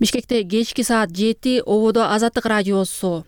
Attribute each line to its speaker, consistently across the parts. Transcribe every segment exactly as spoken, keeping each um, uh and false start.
Speaker 1: Бишкекте кечки саат жети, ободо Азаттык радиосу.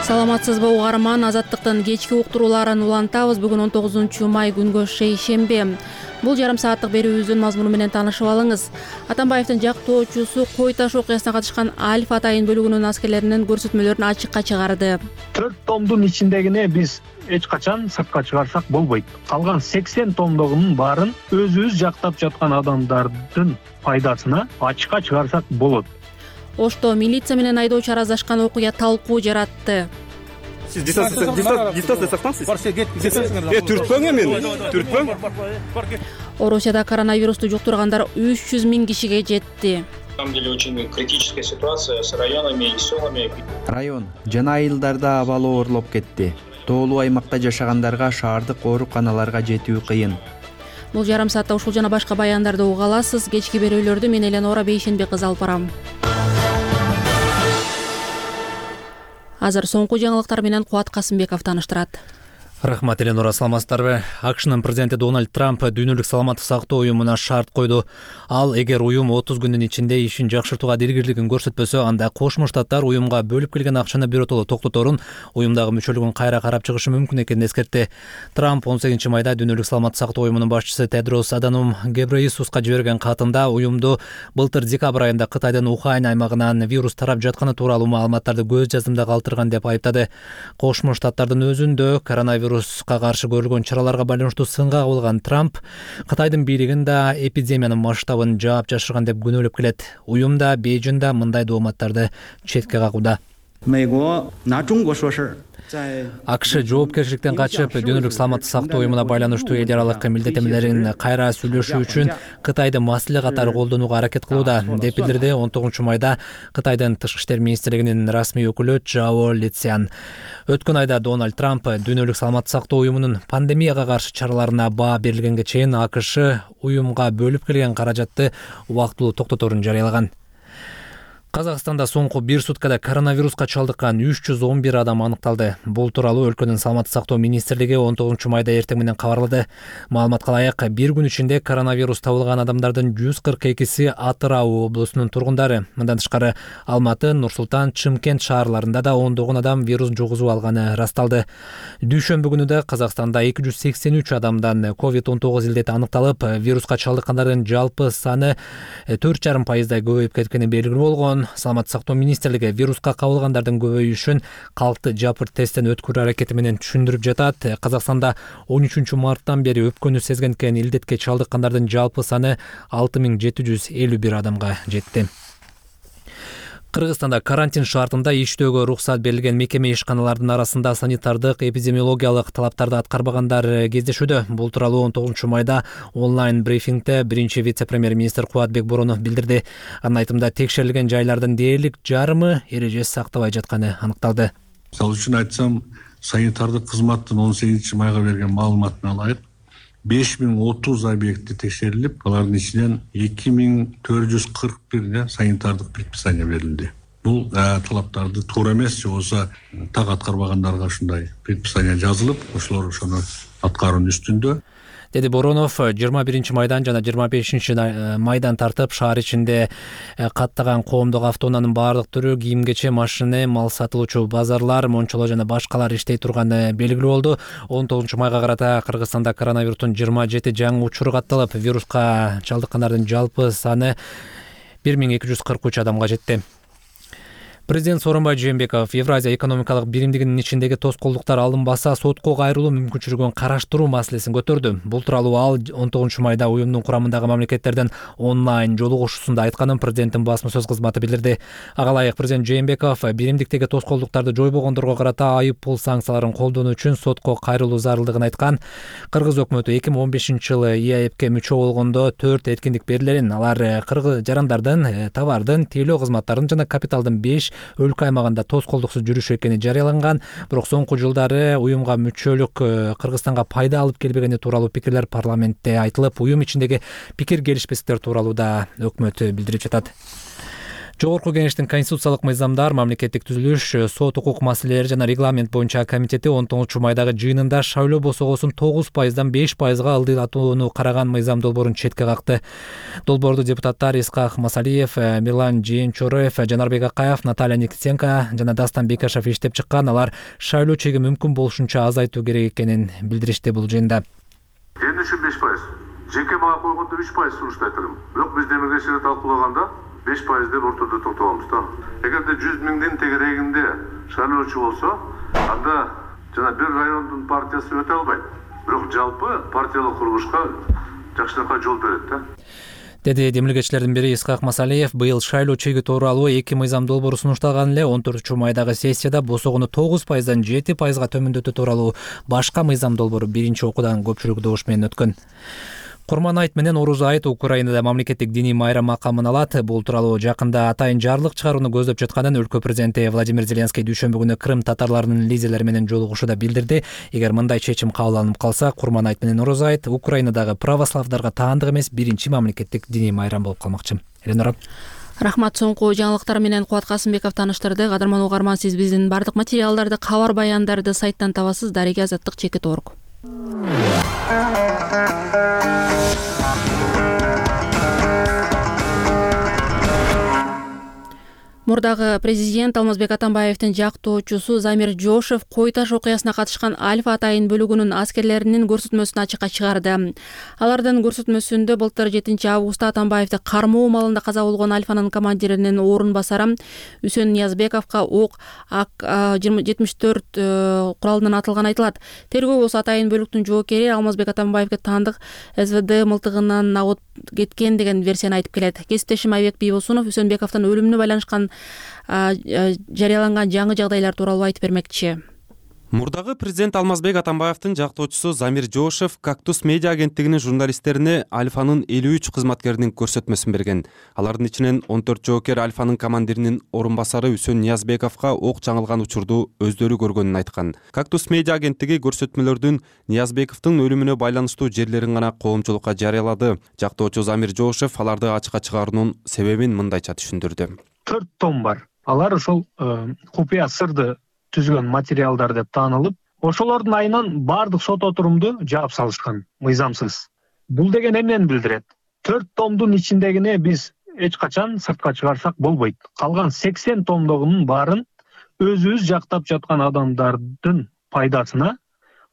Speaker 1: Саламатсызбы угарман, Азаттыктын кечки уктурууларын улантабыз. Бүгүн он тогузунчу май күнгө шейшембе. Бул жарым сааттык берүүбүздүн мазмуну менен таанышып алыңыз. Атамбаевдин жактоочусу кой таш окуясына катышкан Альф Атайын бөлүгүнүн аскерлеринин көрсөтмөлөрүн ачыкка чыгарды.
Speaker 2: төрт томдун ичиндегине биз эч качан сыртка чыгарсак болбойт. Калган сексен томдогунун баарын өзүбүз жактап жаткан адамдардын пайдасына ачыкка чыгарсак болот.
Speaker 1: Ошто милиция менен айдоочу араздашкан окуя талкуу жаратты.
Speaker 3: Сиз дистанция сактаңыз. Э, түртпөң эмени, түртпөң.
Speaker 1: Орусияда коронавирусту жуктургандар үч жүз миң кишиге жетти.
Speaker 4: На самом деле очень критическая ситуация с районами и селами.
Speaker 5: Район жана айылдарда абалы оорлоп кетти. Тоолуу аймакта жашагандарга шаардык ооруканаларга жетүү кыйын.
Speaker 1: Бул жарым саатта ушул жана башка баяндарды уга аласыз. Кечки берүүлөрдү мен Эленора Бейшенбек кызы алып барам. Азыр соңку жаңылыктар менен Кубат Касымбеков тааныштырат.
Speaker 6: Рахмат, Эленора, саламатсыздарбы? АКШнын президенти Дональд Трамп дүйнөлүк саламаттык сактоо уюмуна шарт койду. Ал эгер уюм отуз күндүн ичинде ишин жакшыртууга диргирлигин көрсөтпөсө, анда Кошмо Штаттар уюмга бөлүп келген акчаны биротоло токтоторун, уюмдагы мүчөлүгүн кайра карап чыгышы мүмкүн экенин эскертти. Трамп он сегизинчи майда дүйнөлүк саламаттык сактоо уюмунун башчысы Тедрос Аданом Гебрейесуска жиберген катында уюмду былтыр декабрь айында Кытайдын Ухань аймагынан вирус тарап жатканы тууралуу маалыматтарды көз жаздымда калтырган деп айыптады. Кошмо Штаттардын өзүндө коронавирус вируска каршы көрүлгөн чараларга байланыштуу сынга кабылган Трамп Кытайдын бийлигин да эпидемиянын масштабын жаап жашырган деп күнөөлөп келет. Уюм да Бейжиң да мындай дооматтарды четке кагууда. АКШ жоопкерчиликтен качып, дүйнөлүк саламаттык сактоо уюмуна байланыштуу эл аралык милдеттенмелерин кайра сүйлөшүү үчүн Кытайды маселе катары колдонууга аракет кылууда, деп билдирди он тогузунчу майда Кытайдын тышкы иштер министрлигинин расмий өкүлү Чжао Лицян. Өткөн айда Дональд Трамп дүйнөлүк саламаттык сактоо уюмунун пандемияга каршы чараларына баа берилгенге чейин АКШ уюмга бөлүп келген каражатты убактылуу токтоторун жарыялаган. Казакстанда соңку бир суткада коронавируска чалдыккан үч жүз он бир адам аныкталды. Бул тууралуу өлкөнүн саламаттык сактоо министрлиги он тогузунчу майда эртең менен кабарлады. Маалыматка ылайык, бир күн ичинде коронавирус табылган адамдардын жүз кырк экиси Атырау облусунун тургундары. Мындан тышкары Алматы, Нур Султан, Чымкент шаарларында да ондогон адам вирус жугузуп алганы ырасталды. Дүйшөмбү күнү да Казакстанда эки жүз сексен үч адамдан ковид он тогуз илдети аныкталып, вируска чалдыккандардын жалпы саны төрт жарым пайыздай көбөйүп кеткени белгилүү болгон. Саламаттык сактоо министрлиги вируска кабылгандардын көбөйүшүн калкты жапыр тесттен өткөрүү аракети менен түшүндүрүп жатат. Казакстанда он үчүнчү марттан бери өпкөнү сезген экен, илдетке чалдыккандардын жалпы саны алты миң жети жүз элүү бир адамга жетти. Кыргызстанда карантин шартында иштөөгө уруксат берилген мекеме ишканалардын арасында санитардык эпидемиологиялык талаптарды аткарбагандар кездешүүдө. Бул тууралуу он тогузунчу майда онлайн брифингде биринчи вице-премьер-министр Кубатбек Боронов билдирди. Анын айтымында текшерилген жайлардын дээрлик жарымы эрежеси сактабай жатканы аныкталды.
Speaker 7: Мисалы үчүн айтсам, санитардык кызматтын он сегизинчи майга берген маалыматына ылайык беш миң отуз объекти текшерилип, алардын ичинен эки миң төрт жүз кырк бир санитардык предписание берилди. Бул талаптарды туура эмес, же болбосо так аткарбагандарга ушундай предписание жазылып, ошолор ошону аткаруунун үстүндө,
Speaker 6: деди Боронов. жыйырма биринчи майдан жана жыйырма бешинчи майдан тартып шаар ичинде каттаган коомдук автоунаанын баардык түрү, кийим-кече, машина, мал сатылуучу базарлар, мончолор жана башкалар иштей турганы белгилүү болду. он тогузунчу майга карата Кыргызстанда коронавирустун жыйырма жети жаңы учуру катталып, вируска чалдыккандардын жалпы саны бир миң эки жүз кырк үч адамга жетти. Президент Сооронбай Жээнбеков Евразия экономикалык биримдигинин ичиндеги тоскоолдуктар алынбаса соттко кайрылуу мүмкүнчүлүгүн караштыруу маселесин көтөрдү. Бул тууралуу ал он тогузунчу майда уюмдун курамындагы мамлекеттердин онлайн жолугушуусунда айтканын президенттин басма сөз кызматы билдирди. Ага ылайык президент Жээнбеков биримдиктеги тоскоолдуктарды жойбогондорго карата айып пул санкцияларын колдонуу үчүн сотко кайрылуу зарылдыгын айткан. Кыргыз өкмөтү эки миң он бешинчи жылы ИАЭПке мүчө болгондо төрт эркиндик берилерин, алар кыргыз жарандардын, товардын, тейлөө кызматтарын жана капиталдын беш өлкө аймагында тоскоолдуксуз жүрүшү экени жарыяланган. Бирок соңку жылдары уюмга мүчөлүк Кыргызстанга пайда алып келбегени тууралуу пикирлер парламентте айтылып, уюм ичиндеги пикир келишпестиктер тууралуу да өкмөт билдирип жатат. Жогорку Кеңештин конституциялык мыйзамдар, мамлекеттик түзүлүш, сот укук маселелери жана регламент боюнча комитети он тогузунчу майдагы жыйынында шайлоо босогосун тогуз пайыздан беш пайызга ылдыйлатууну караган мыйзам долбоорун четке какты. Долбоорду депутаттар Исхак Масалиев, Мирлан Жээнчороев, Жанарбек Акаев, Наталья Никитенко жана Дастан Бекашев иштеп чыккан. Алар шайлоо чеги мүмкүн болушунча азайтуу керек экенин билдиришти бул жыйында.
Speaker 8: Эми үчүн беш пайыз. Жеке бага койгондо үч пайыз сунуштайт элем. Бирок биз демегешери талкуулаганда беш пайыз деп ортодо токтогонбуз да. Эгерде жүз миңдин тегерегинде шайлоочу болсо, анда жана бир райондун партиясы өтө албайт. Бирок жалпы партиялык курулушка жакшынакай жол берет да.
Speaker 6: Деди демилгечилердин бири Исхак Масалиев. Быйыл шайлоо чеги тууралуу эки мыйзам долбоору сунушталган эле. он төртүнчү майдагы сессияда босогону тогуз пайыздан жети пайызга төмөндөтүү тууралуу башка мыйзам долбоору биринчи окуудан көпчүлүк добуш менен өткөн. Курман айт менен Орус айт Украинада мамлекеттик диний майрам макамын алат. Бул тууралуу жакында атайын жарлык чыгарууну көздөп жатканын өлкө президенти Владимир Зеленский дүйшөмбү күнү Крым татарларынын лидерлери менен жолугушууда билдирди. Эгер мындай чечим кабыл алынып калса, Курман айт менен Орус айт Украинадагы православдарга таандык эмес биринчи мамлекеттик диний майрам болуп калмакчы. Эленора.
Speaker 1: Рахмат. Соңку жаңылыктар менен Кубат Касымбеков таныштырды. Кадырман угарман, сиз биздин бардык материалдарды, кабар баяндарды сайттан табасыз. Дареге Азаттык, Чекит Орг. Мурдагы президент Алмазбек Атамбаевдин жактоочусу Замир Жошев Кой Таш окуясына катышкан Альфа атайын бөлүгүнүн аскерлеринин көрсөтмөсүн ачыкка чыгарды. Алардын көрсөтмөсүндө былтыр жетинчи августта Атамбаевди кармоо маалында каза болгон Альфанын командиринин орун басары Үсөн Ниязбековго ок ак жетимиш төрт куралынан атылганы айтылат. Тергөө болсо атайын бөлүктүн жоокери Алмазбек Атамбаевге таандык СВД мылтыгынан агып кеткен деген версияны айтып келет. Кесиптешим Айбек Бийбосунов Үсөнбековдун өлүмүнө байланышкан жарыяланган жаңы жагдайлар тууралуу айтып бермекчи.
Speaker 9: Мурдагы президент Алмазбек Атамбаевдин жактоочусу Замир Жошев Кактус медиа агенттигинин журналисттерине Альфанын элүү үч кызматкеринин көрсөтмөсүн берген. Алардын ичинен он төрт жоокер Альфанын командиринин орун басары Үсөн Ниязбековго ок жаңылган учурду өздөрү көргөнүн айткан. Кактус медиа агенттиги көрсөтмөлөрдүн Ниязбековдун өлүмүнө байланыштуу жерлерин гана коомчулукка жарыялады. Жактоочу Замир Жошев аларды ачыкка чыгаруунун себебин мындайча түшүндүрдү.
Speaker 2: төрт том бар. Алар ошол купуя сырды түзгөн материалдар деп таанылып, ошолордун айынан баардык сот отурумду жаап салышкан мыйзамсыз. Бул деген эмнени билдирет? төрт томдун ичиндегине биз эч качан сыртка чыгарсак болбойт. Калган сексен томдогунун баарын өзүбүз жактап жаткан адамдардын пайдасына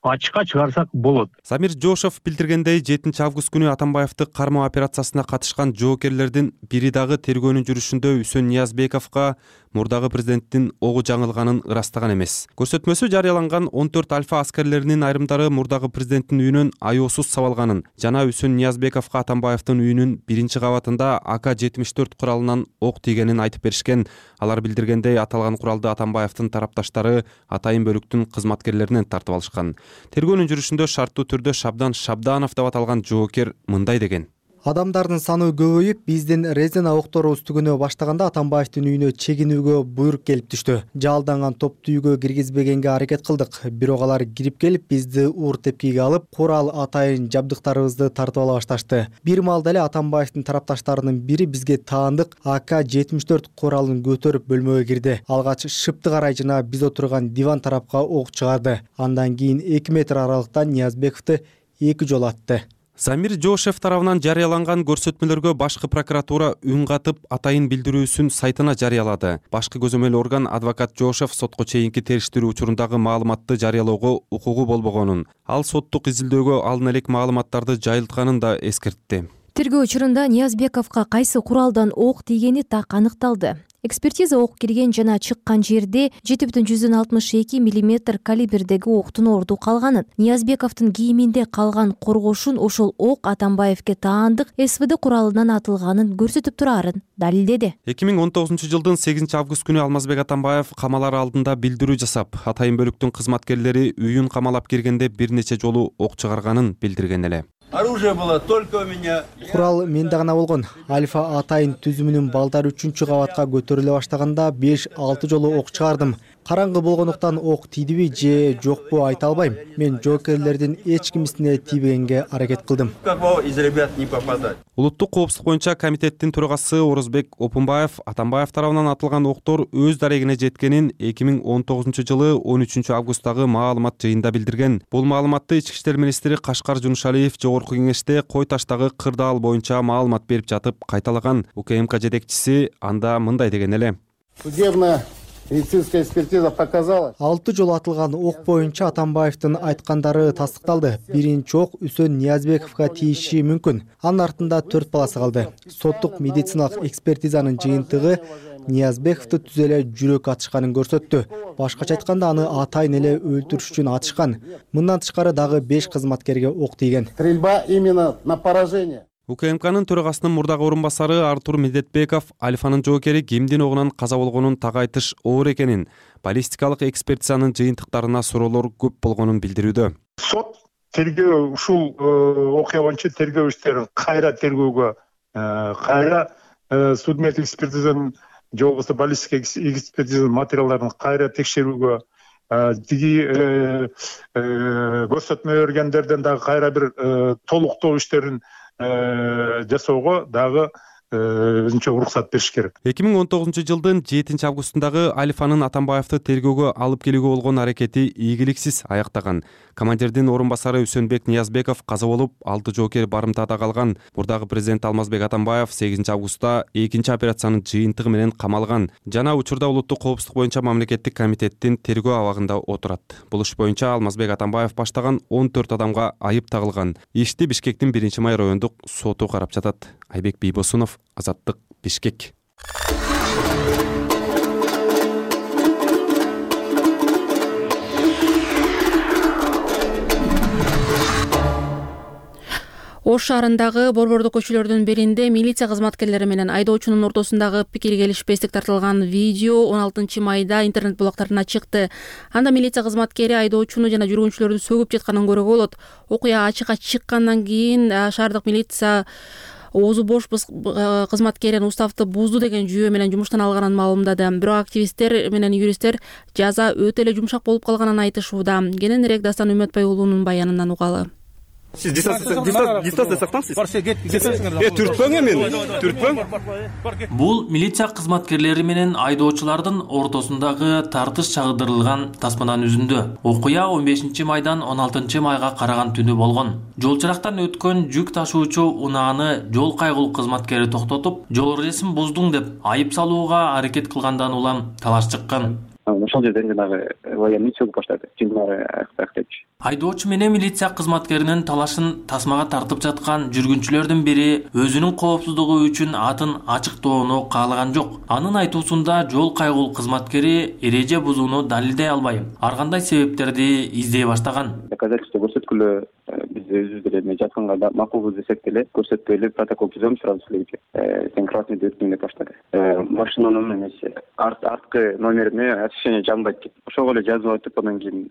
Speaker 2: ачыкка чыгарсак болот.
Speaker 9: Замир Жошев билдиргендей, жетинчи август күнү Атамбаевди кармоо операциясына катышкан жоокерлердин бири дагы тергөөнүн жүрүшүндө Үсөн Ниязбековго мурдагы президенттин огу жаңылганын ырастаган эмес. Көрсөтмөсү жарыяланган он төрт Альфа аскерлеринин айрымдары мурдагы президенттин үйүнөн аеосуз сабалганын жана Үсөн Ниязбековго Атамбаевдин үйүнүн биринчи кабатында А К жетимиш төрт куралынан ок тийгенин айтып беришкен. Алар билдиргендей, аталган куралды Атамбаевдин тарапташтары атайын бөлүктүн кызматкерлеринен тартып алышкан. Тергөөнүн жүрүшүндө шарттуу түрдө Шабдан Шабданов деп аталган жоокер мындай деген.
Speaker 10: Адамдардын саны көбөйүп, биздин резина окторубуз түгөнө баштаганда Атамбаевдин үйүнө чегинүүгө буйрук келип түштү. Жалданган топту үйгө киргизбегенге аракет кылдык. Бирок алар кирип келип, бизди уур тепкиге алып, курал атайын жабдыктарыбызды тартып ала башташты. Бир маалда эле Атамбаевдин тарапташтарынын бири бизге таандык А К жетимиш төрт куралын көтөрүп бөлмөгө кирди. Алгач шыпты карай жана биз отурган диван тарапка ок чыгарды. Андан кийин эки метр аралыктан Ниязбековду эки жолу атты.
Speaker 9: Замир Жошев тарабынан жарыяланган көрсөтмөлөргө башкы прокуратура үн катып атайын билдирүүсүн сайтына жарыялады. Башкы көзөмөл орган адвокат Жошев сотко чейинки териштирүү учурундагы маалыматты жарыялоого укугу болбогонун, ал соттук изилдөөгө алдын элек маалыматтарды жайылтканын да эскертти.
Speaker 11: Тергөө учурунда Ниязбековго кайсы куралдан ок тийгени так аныкталды. Экспертиза ок кирген жана чыккан жерде жети бүтүн жүздөн алтымыш эки миллиметр калибрдеги октун орду калганын, Ниязбековдун кийиминде калган коргошун ошол ок Атамбаевге таандык С В Д куралынан атылганын көрсөтүп турарын далилдеди.
Speaker 9: эки миң он тогузунчу жылдын сегизинчи август күнү Алмазбек Атамбаев камалар алдында билдирүү жасап, атайын бөлүктүн кызматкерлери үйүн камалап киргенде бир нече жолу ок чыгарганын билдирген эле.
Speaker 12: Оружие было только у меня.
Speaker 10: Курал менде гана болгон. Альфа атайын түзүмүнүн балдары үчүнчү кабатка көтөрүлө баштаганда беш алты жолу ок чыгардым. Караңгы болгондуктан ок тийдиби же жокпу айта албайм. Мен жоокерлердин эч кимисине тийбегенге аракет кылдым.
Speaker 9: Улуттук коопсуздук боюнча комитеттин төрагасы Орозбек Опунбаев Атамбаев тарабынан атылган октор өз дарегине жеткенин эки миң он тогузунчу жылы он үчүнчү августтагы маалымат жыйынында билдирген. Бул маалыматты Ички иштер министри Кашкар Жунушалиев Жогорку кеңеште Кой таштагы кырдаал боюнча маалымат берип жатып кайталаган. УКМК жетекчиси анда мындай деген эле.
Speaker 13: Медицинская экспертиза показала.
Speaker 10: Алты жолу атылган ок боюнча Атамбаевдин айткандары тастыкталды. Биринчи ок Үсөн Ниязбековго тийиши мүмкүн. Анын артында төрт баласы калды. Соттук медициналык экспертизанын жыйынтыгы Ниязбековду түз эле жүрөк атышканын көрсөттү. Башкача айтканда аны атайын эле өлтүрүш үчүн атышкан. Мындан тышкары дагы беш кызматкерге ок тийген.
Speaker 13: Стрельба именно на поражение.
Speaker 9: УКМКнын төрагасынын мурдагы орун басары Артур Медетбеков Алифанын жоокери кимдин огунан каза болгонун так айтыш оор экенин, баллистикалык экспертизанын жыйынтыктарына суроолор көп болгонун билдирүүдө.
Speaker 14: Сот тергөө ушул окуя боюнча тергөө иштерин кайра тергөөгө, кайра судмеддик экспертизанын же болбосо баллистика экспертизанын материалдарын кайра текшерүүгө, тиги көрсөтмө бергендерден дагы кайра бир толуктоо иштерин жасоого дагы өзүнчө уруксат бериш керек.
Speaker 9: эки миң он тогузунчу жылдын жетинчи августундагы Алифанын Атамбаевди тергөөгө алып келүүгө болгон аракети ийгиликсиз аяктаган. Командирдин орун басары Үсөнбек Ниязбеков каза болуп, алты жоокер барымтада калган. Мурдагы президент Алмазбек Атамбаев сегизинчи августта экинчи операциянын жыйынтыгы менен камалган. Жана учурда улуттук коопсуздук боюнча мамлекеттик комитеттин тергөө абагында отурат. Бул иш боюнча Алмазбек Атамбаев баштаган он төрт адамга айып тагылган. Ишти Бишкектин биринчи май райондук соту карап жатат. Айбек Бийбосунов, Азаттык, Бишкек.
Speaker 1: Ош шаарындагы борбордуу көчөлөрдүн биринде милиция кызматкерлери менен айдоочунун ортосундагы пикир келишпестик тартылган видео он алтынчы майда интернет булактарына чыкты. Анда милиция кызматкери айдоочуну жана жүргүнчүлөрдү сөгүп жатканын көрүүгө болот. Окуя ачыкка чыккандан кийин шаардык милиция оозу бош кызматкерин уставды бузду деген жүйө менен жумуштан алганын маалымдады. Бирок активисттер менен юристтер жаза өтө эле жумшак болуп калганын айтышууда. Кененирээк Дастан Үмөтбай уулунун баянынан угалы.
Speaker 3: Siz дистанция сактаңыз. Э, түртпөң эми, түртпөң.
Speaker 15: Бул милиция кызматкерлери менен айдоочулардын ортосундагы тартыш чагырдырылган тасманын үзүндө. Окуя он бешинчи майдан он алтынчы майга караган түнү болгон. Жол чырактан өткөн жүк ташуучу унааны жол кайгылуу кызматкери токтотуп, жол эрежесин буздуң деп айып салууга аракет кылгандан улам талаш чыккан.
Speaker 16: Ошол жерден жанагы военный чөгүп баштады. Жинмары актечи.
Speaker 15: Айдоочу менен милиция кызматкеринин талашын тасмага тартып жаткан жүргүнчүлөрдүн бири өзүнүн коопсуздугу үчүн атын ачыктоону каалаган жок. Анын айтуусунда жол кайгылуу кызматкери эреже бузууну далилдей албай, ар кандай себептерди издей баштаган.
Speaker 16: Доказательство көрсөткүлө биз өзүбүз эле жатканга макулбуз десек деле көрсөтпөй эле протокол түзөм сразу силерге. Сен красныйды өттүң деп баштады. Машинанын эмеси арткы номерине освещение жанбайт деп. Ошого эле жазып айтып, андан кийин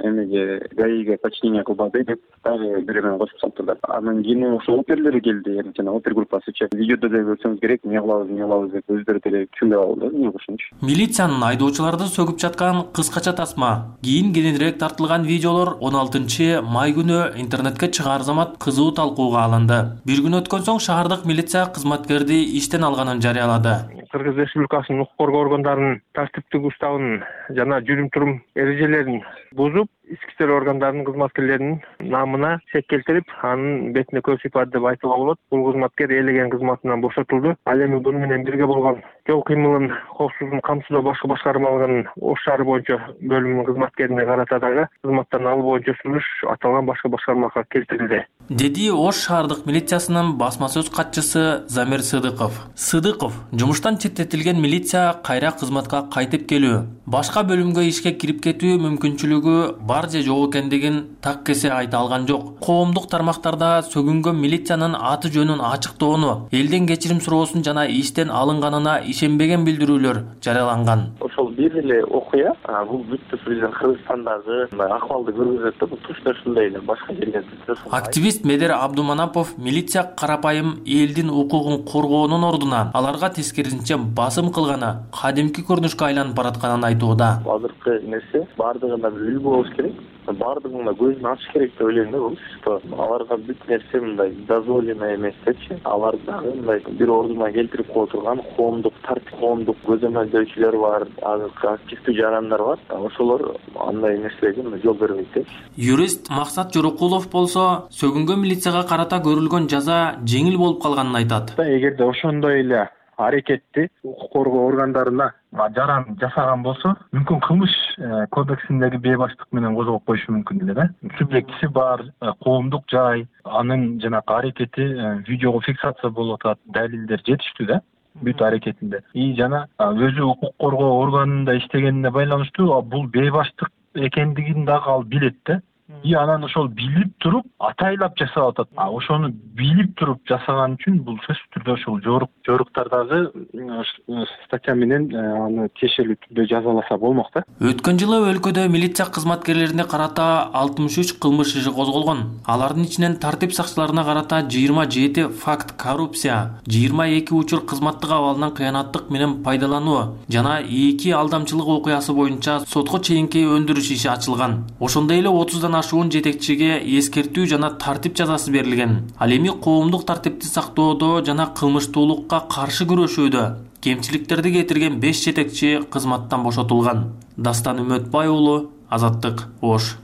Speaker 16: эмеге гаиге починение кылбады деп дагы бирөөнү кошуп салыптыр. Андан кийин ошо оперлер келди, жана опер группасычы. Видеодо да көрсөңүз керек, эмне кылабыз, эмне кылабыз деп өздөрү деле түшүнбөй калды, эмне кылышынчы.
Speaker 15: Милициянын айдоочуларды сөгүп жаткан кыскача тасма, кийин кененирээк тартылган видеолор он алтынчы май күнү интернетке чыгаар замат кызуу талкууга алынды. Бир күн өткөн соң шаардык милиция кызматкерди иштен алганын жарыялады.
Speaker 17: Кыргыз Республикасынын укук коргоо органдарынын тартиптик уставын жана жүрүм-турум эрежелерин бузуп, ички иштер органдарынын кызматкерлеринин намына шек келтирип, анын бетине көп сыйпады деп айтууга болот. Бул кызматкер ээлеген кызматынан бошотулду. Ал эми буну менен бирге болгон жол кыймылын коопсуздугун камсыздоо башкы башкармалыгынын Ош шаары боюнча бөлүмүнүн кызматкерине карата дагы кызматтан алуу боюнча сунуш аталган башкы башкармага келтирилди,
Speaker 15: деди Ош шаардык милициясынын басма сөз катчысы Замир Сыдыков. Сыдыков жумуштан четтетилген милиция кайра кызматка кайтып келүү, башка бөлүмгө ишке кирип кетүү мүмкүнчүлүгү бар же жок экендигин так кесе айта алган жок. Коомдук тармактарда сөгүнгөн милициянын аты жөнүн ачыктоону, элден кечирим суроосун жана иштен алынганына ишенбеген билдирүүлөр жарыяланган.
Speaker 16: Ошол бир эле окуя, бул бүт президент Кыргызстандагы акыбалды көргөзөт да, бул точно ушундай эле башка жерлерде.
Speaker 15: Активист Медер Абдуманапов милиция карапайым элдин укугун коргоонун ордуна аларга тескерисинче басым кылганы кадимки көрүнүшкө айланып баратканын айтууда.
Speaker 16: Азыркы нерсе баардыгына бир үлгү болуш керек. Баардыгына көзүн ачыш керек деп ойлойм да, бул что аларга бүт нерсе мындай дозволено эмес депчи. Алар дагы мындай бир ордуна келтирип кое турган коомдук тартип, коомдук көзөмөлдөөчүлөр бар, азыркы активдүү жарандар бар. Ошолор андай нерселерге жол бербейт депчи.
Speaker 15: Юрист Максат Жорокулов болсо сөгүнгөн милицияга карата көрүлгөн жаза жеңил болуп калганын айтат.
Speaker 17: Эгерде ошондой эле аракетти укук коргоо органдарына жаран жасаган болсо, мүмкүн кылмыш кодексиндеги бейбаштык менен козгоп коюшу мүмкүн эле да. Субъектиси бар, коомдук жай, анын жанагы аракети видеого фиксация болуп атат, далилдер жетиштүү да бүт аракетинде. И жана өзү укук коргоо органында иштегенине байланыштуу бул бейбаштык экендигин дагы ал билет да. И анан ошол билип туруп атайлап жасап атат. А ошону билип туруп жасаган үчүн бул сөзсүз түрдө ошол жорук жоруктардагы статья менен аны тиешелүү түрдө жазаласа болмок да.
Speaker 15: Өткөн жылы өлкөдө милиция кызматкерлерине карата алтымыш үч кылмыш иши козголгон. Алардын ичинен тартип сакчыларына карата жыйырма жети факт коррупция, жыйырма эки учур кызматтык абалынан кыянаттык менен пайдалануу жана эки алдамчылык окуясы боюнча сотко чейинки өндүрүш иши ачылган. Ошондой эле отуздан ашуун жетекчиге эскертүү жана тартип жазасы берилген. Ал эми коомдук тартипти сактоодо жана кылмыштуулукка каршы күрөшүүдө кемчиликтерди кетирген беш жетекчи кызматтан бошотулган. Дастан Үмөтбай уулу, Азаттык, Ош.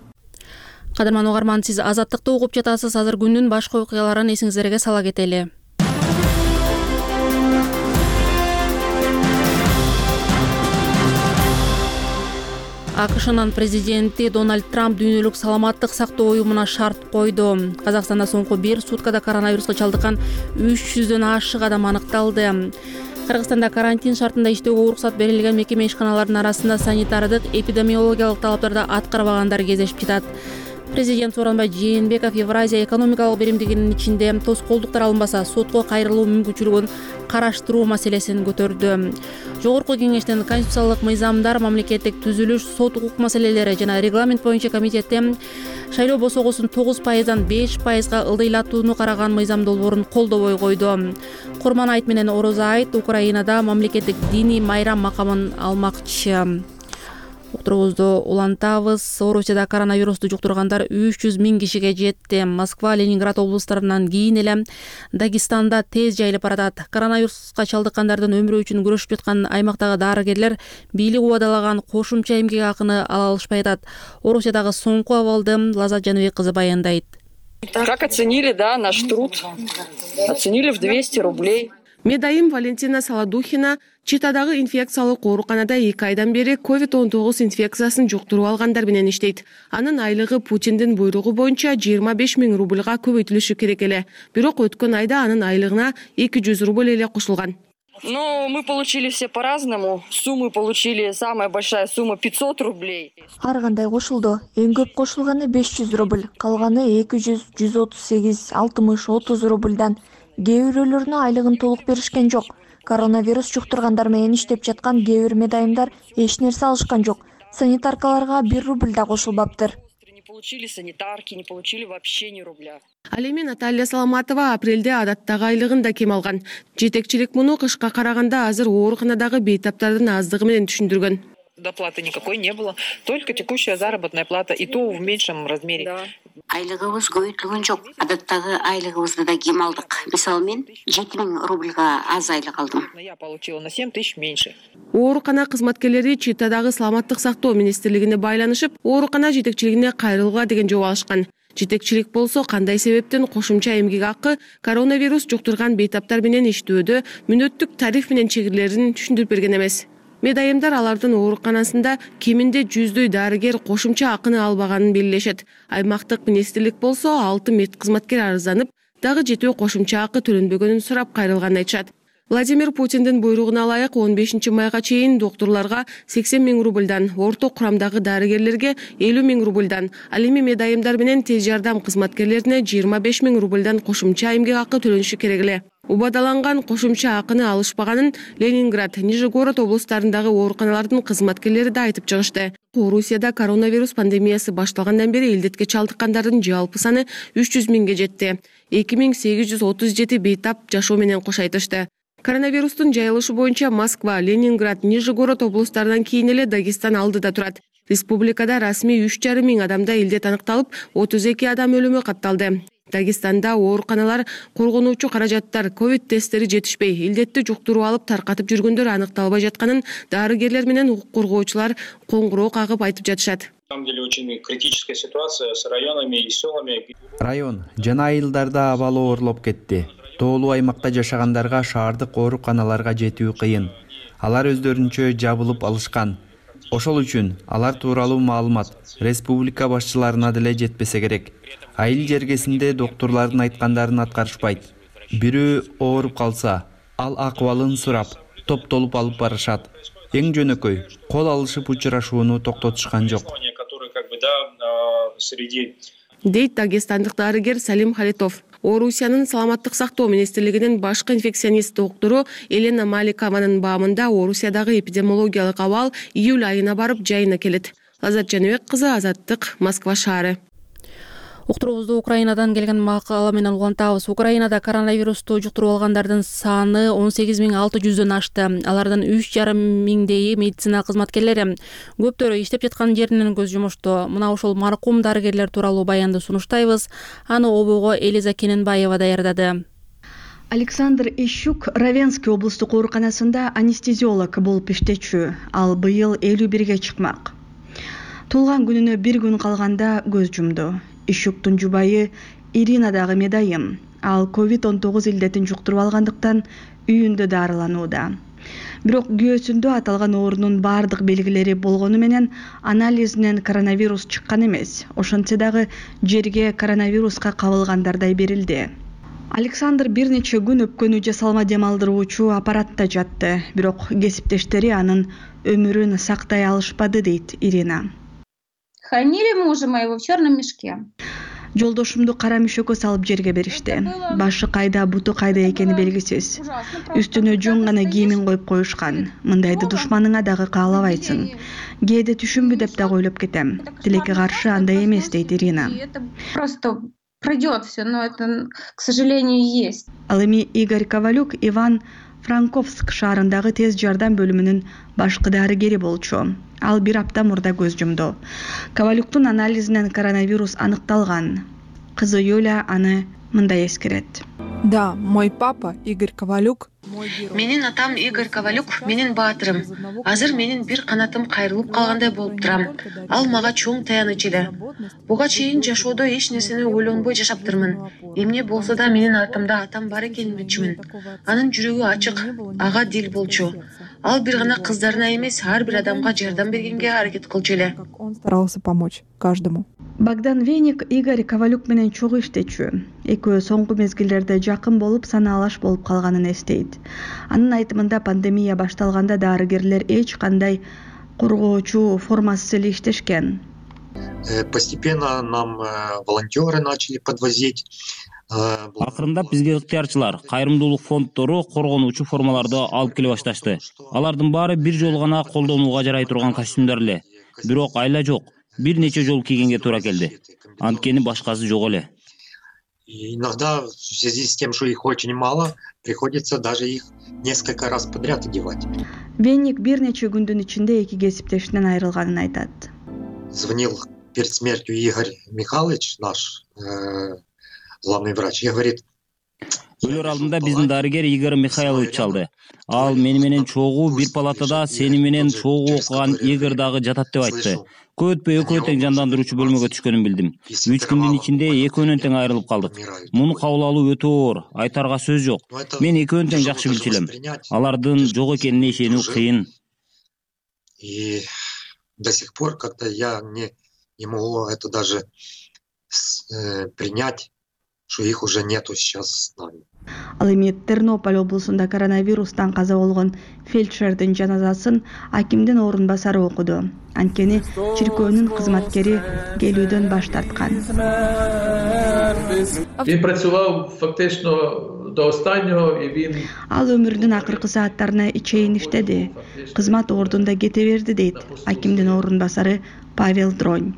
Speaker 1: Кадырман угарман, сиз Азаттыкты угуп жатасыз. Азыр күндүн башка окуяларын эсиңиздерге сала кетели. АКШнын президенти Дональд Трамп дүйнөлүк саламаттык сактоо уюмуна шарт койду. Казакстанда соңку бир суткада коронавируска чалдыккан үч жүздөн ашык адам аныкталды. Кыргызстанда карантин шартында иштөөгө уруксат берилген мекеме ишканаларынын арасында санитардык, эпидемиологиялык талаптарды аткарбагандар кездешип жатат. Президент Сооронбай Жээнбеков Евразия экономикалык биримдигинин ичинде тоскоолдуктар алынбаса сотко кайрылуу мүмкүнчүлүгүн караштыруу маселесин көтөрдү. Жогорку кеңештин конституциялык мыйзамдар, мамлекеттик түзүлүш, сот укук маселелери жана регламент боюнча комитетте шайлоо босогосун тогуз пайыздан беш пайызга ылдыйлатууну караган мыйзам долбоорун колдобой койду. Курман айт менен Орозо айт Украинада мамлекеттик диний майрам макамын алмакчы. Уктуруубузду улантабыз. Орусияда коронавирусту жуктургандар үч жүз миң кишиге жетти. Москва, Ленинград облустарынан кийин эле Дагестанда тез жайылып баратат. Коронавируска чалдыккандардын өмүрү үчүн күрөшүп жаткан аймактагы дарыгерлер бийлик убадалаган кошумча эмгек акыны ала алышпай атат. Орусиядагы соңку абалды Лазат Жаныбек кызы баяндайт.
Speaker 18: Как оценили, да, наш труд? Оценили в двести рублей.
Speaker 19: Медайым Валентина Саладухина Читадагы инфекциялык ооруканада эки айдан бери ковид он тогуз инфекциясын жуктуруп алгандар менен иштейт. Анын айлыгы Путиндин буйругу боюнча жыйырма беш миң рубльга көбөйтүлүшү керек эле. Бирок өткөн айда анын айлыгына эки жүз рубль эле кошулган.
Speaker 18: Ну, мы получили все по-разному. Суммы получили, самая большая сумма пятьсот рублей.
Speaker 20: Ар кандай кошулду. Эң көп кошулганы беш жүз рубль, калганы эки жүз, жүз отуз сегиз, алтымыш, отуз рубльдан. Кээ бирөөлөрүнө айлыгын толук беришкен жок. Коронавирус жуктургандар менен иштеп жаткан кээ бир медайымдар эч нерсе алышкан жок. Санитаркаларга бир рубль да кошулбаптыр.
Speaker 18: Не получили санитарки, не получили вообще ни рубля.
Speaker 19: Ал эми Наталья Саламатова апрелде адаттагы айлыгын да кем алган. Жетекчилик муну кышка караганда азыр ооруканадагы бейтаптардын аздыгы менен түшүндүргөн.
Speaker 21: Доплаты никакой не было, только текущая заработная плата, и то в меньшем размере.
Speaker 22: Да. Айлыгыбыз көбөйтүлгөн жок. Адаттагы айлыгыбызды да кем алдык. Мисалы мен жети миң рубльга аз айлык алдым.
Speaker 21: Я получила на семь тысяч меньше.
Speaker 19: Оорукана кызматкерлери Читадагы саламаттык сактоо министрлигине байланышып, оорукана жетекчилигине кайрылууга деген жооп алышкан. Жетекчилик болсо кандай себептен кошумча эмгек акы коронавирус жуктурган бейтаптар менен иштөөдө мүнөттүк тариф менен чегирилерин түшүндүрүп берген эмес. Медайымдар алардын ооруканасында кеминде жүздөй дарыгер кошумча акыны албаганын белгилешет. Аймактык министрлик болсо алты медкызматкер арызданып, дагы жетөө кошумча акы төлөнбөгөнүн сурап кайрылганын айтышат. Владимир Путиндин буйругуна ылайык он бешинчи майга чейин доктурларга сексен миң рубльдан, орто курамдагы дарыгерлерге элүү миң рубльдан, ал эми медайымдар менен тез жардам кызматкерлерине жыйырма беш миң рубльдан кошумча эмгек акы төлөнүшү керек эле. Убадаланган кошумча акыны алышпаганын Ленинград, Нижегород облустарындагы ооруканалардын кызматкерлери да айтып чыгышты. Орусияда коронавирус пандемиясы башталгандан бери илдетке чалдыккандардын жалпы саны үч жүз миңге жетти. эки миң сегиз жүз отуз жети бейтап жашоо менен кош айтышты. Коронавирустун жайылышы боюнча Москва, Ленинград, Нижегород облустарынан кийин эле Дагестан алдыда турат. Республикада расмий үч жарым миң адамда илдет аныкталып, отуз эки адам өлүмү катталды. Дагестанда ооруканалар коргонуучу каражаттар, ковид тесттери жетишпей, илдетти жуктуруп алып таркатып жүргөндөр аныкталбай жатканын дарыгерлер менен укук коргоочулар коңгуроо кагып айтып жатышат.
Speaker 4: На самом деле очень критическая ситуация с районами и селами.
Speaker 5: Район жана айылдарда абалы оорлоп кетти. Тоолуу аймакта жашагандарга шаардык ооруканаларга жетүү кыйын. Алар өздөрүнчө жабылып алышкан. Ошол үчүн алар тууралуу маалымат республика башчыларына деле жетпесе керек. Айыл жергесинде доктурлардын айткандарын аткарышпайт. Бирөө ооруп калса, ал акыбалын сурап, топтолуп алып барышат. Эң жөнөкөй кол алышып учурашууну токтотушкан жок.
Speaker 19: Дейт дагестандык дарыгер Салим Халитов. Орусиянын саламаттык сактоо министрлигинин башкы инфекционист доктору Елена Маликованын баамында Орусиядагы эпидемиологиялык абал июль айына барып жайына келет. Азат Жаныбек кызы, Азаттык, Москва шаары.
Speaker 1: Уктуруубузду Украинадан келген макала менен улантабыз. Украинада коронавирусту жуктуруп алгандардын саны он сегиз миң алты жүздөн ашты. Алардын үч жарым миңдейи медицина кызматкерлери. Көптөрү иштеп жаткан жеринен көз жумушту. Мына ошол маркум дарыгерлер тууралуу баянды сунуштайбыз. Аны обого Элиза Кененбаева даярдады.
Speaker 23: Александр Ищук Равенский облустук ооруканасында анестезиолог болуп иштечү. Ал быйыл элүү бирге чыкмак. Туулган күнүнө бир күн калганда көз жумду. Ищуктун жубайы Ирина дагы медайым. Ал ковид он тогуз илдетин жуктуруп алгандыктан үйүндө дарыланууда. Бирок күйөөсүндө аталган оорунун бардык белгилери болгону менен анализинен коронавирус чыккан эмес. Ошентсе дагы жерге коронавируска кабылгандардай берилди. Александр бир нече күн өпкөнү жасалма дем алдыруучу аппаратта жатты. Бирок кесиптештери анын өмүрүн сактай алышпады, дейт Ирина.
Speaker 24: Хранили мужа моего в черном мешке.
Speaker 23: Жолдошумду кара мешөккө салып жерге беришти. Башы кайда, буту кайда экени белгисиз. Үстүнө жөн гана кийимин коюп коюшкан. Мындайды душманыңа дагы каалабайсың. Кээде түшүнбү деп дагы ойлоп кетем. Тилекке каршы андай эмес, дейт Ирина.
Speaker 24: Просто пройдет все, но это, к сожалению, есть.
Speaker 23: Ал эми Игорь Ковалюк Иван Франковск шаарындагы тез жардам бөлүмүнүн башкы дарыгери болчу. Ал бир апта мурда көз жумду. Ковалюктун анализинен коронавирус аныкталган. Кызы Юля аны мындай эскерет.
Speaker 25: Да, мой папа Игорь Ковалюк.
Speaker 26: Менин атам Игорь Ковалюк менин баатырым. Азыр менин бир канатым кайрылып калгандай болуп турам. Ал мага чоң таяныч эле. Буга чейин жашоодо эч нерсени ойлонбой жашаптырмын. Эмне болсо да менин артымда атам бар экенин билчүмүн. Анын жүрөгү ачык, ага дил болчу. Ал бир гана кыздарына эмес, ар бир адамга жардам бергенге аракет кылчу эле.
Speaker 25: Он старался помочь каждому.
Speaker 23: Богдан Веник Игорь Ковалюк менен чогуу иштечү. Экөө соңку мезгилдерде жакын болуп, санаалаш болуп калганын эстейт. Анын айтымында пандемия башталганда дарыгерлер эч кандай коргоочу формасыз эле иштешкен.
Speaker 27: Постепенно нам волонтеры начали подвозить.
Speaker 28: Акырындап бизге ыктыярчылар, кайрымдуулук фонддору коргонуучу формаларды алып келе башташты. Алардын баары бир жолу гана колдонууга жарай турган костюмдар эле. Бирок айла жок. Бир нече жол кийгенге туура келди. Анткени башкасы жок эле.
Speaker 27: Иногда в связи с тем, что их очень мало, приходится даже их несколько раз подряд одевать.
Speaker 23: Венник бир нече күндүн ичинде эки кесиптешинен айрылганын айтат.
Speaker 27: Звонил перед смертью Игорь Михайлович, наш э, главный врач, и говорит:
Speaker 28: өлөр алдында биздин дарыгер Игорь Михайлович чалды. Ал мени менен чогуу бир палатада сени менен чогуу окуган Игорь дагы жатат деп айтты. Көп өтпөй экөө тең жандандыруучу бөлмөгө түшкөнүн билдим. үч күндүн ичинде экөөнөн тең айрылып калдык. Муну кабыл алуу өтө оор, айтарга сөз жок. Мен экөөнүн тең жакшы билчү элем. Алардын жок экенине ишенүү кыйын.
Speaker 27: И до сих пор как-то я не, не могу это даже э, принять, что их уже нету сейчас с нами.
Speaker 23: Ал эми Тернополь облусунда коронавирустан каза болгон фельдшердин жаназасын акимдин орун басары окуду. Анткени чиркөөнүн кызматкери келүүдөн баш тарткан.
Speaker 2: Він працював фактично до останнього і він
Speaker 23: Ал өмүрүнүн акыркы сааттарына чейин иштеди. Кызмат ордунда кете берди дейт акимдин орун басары Павел Дронь.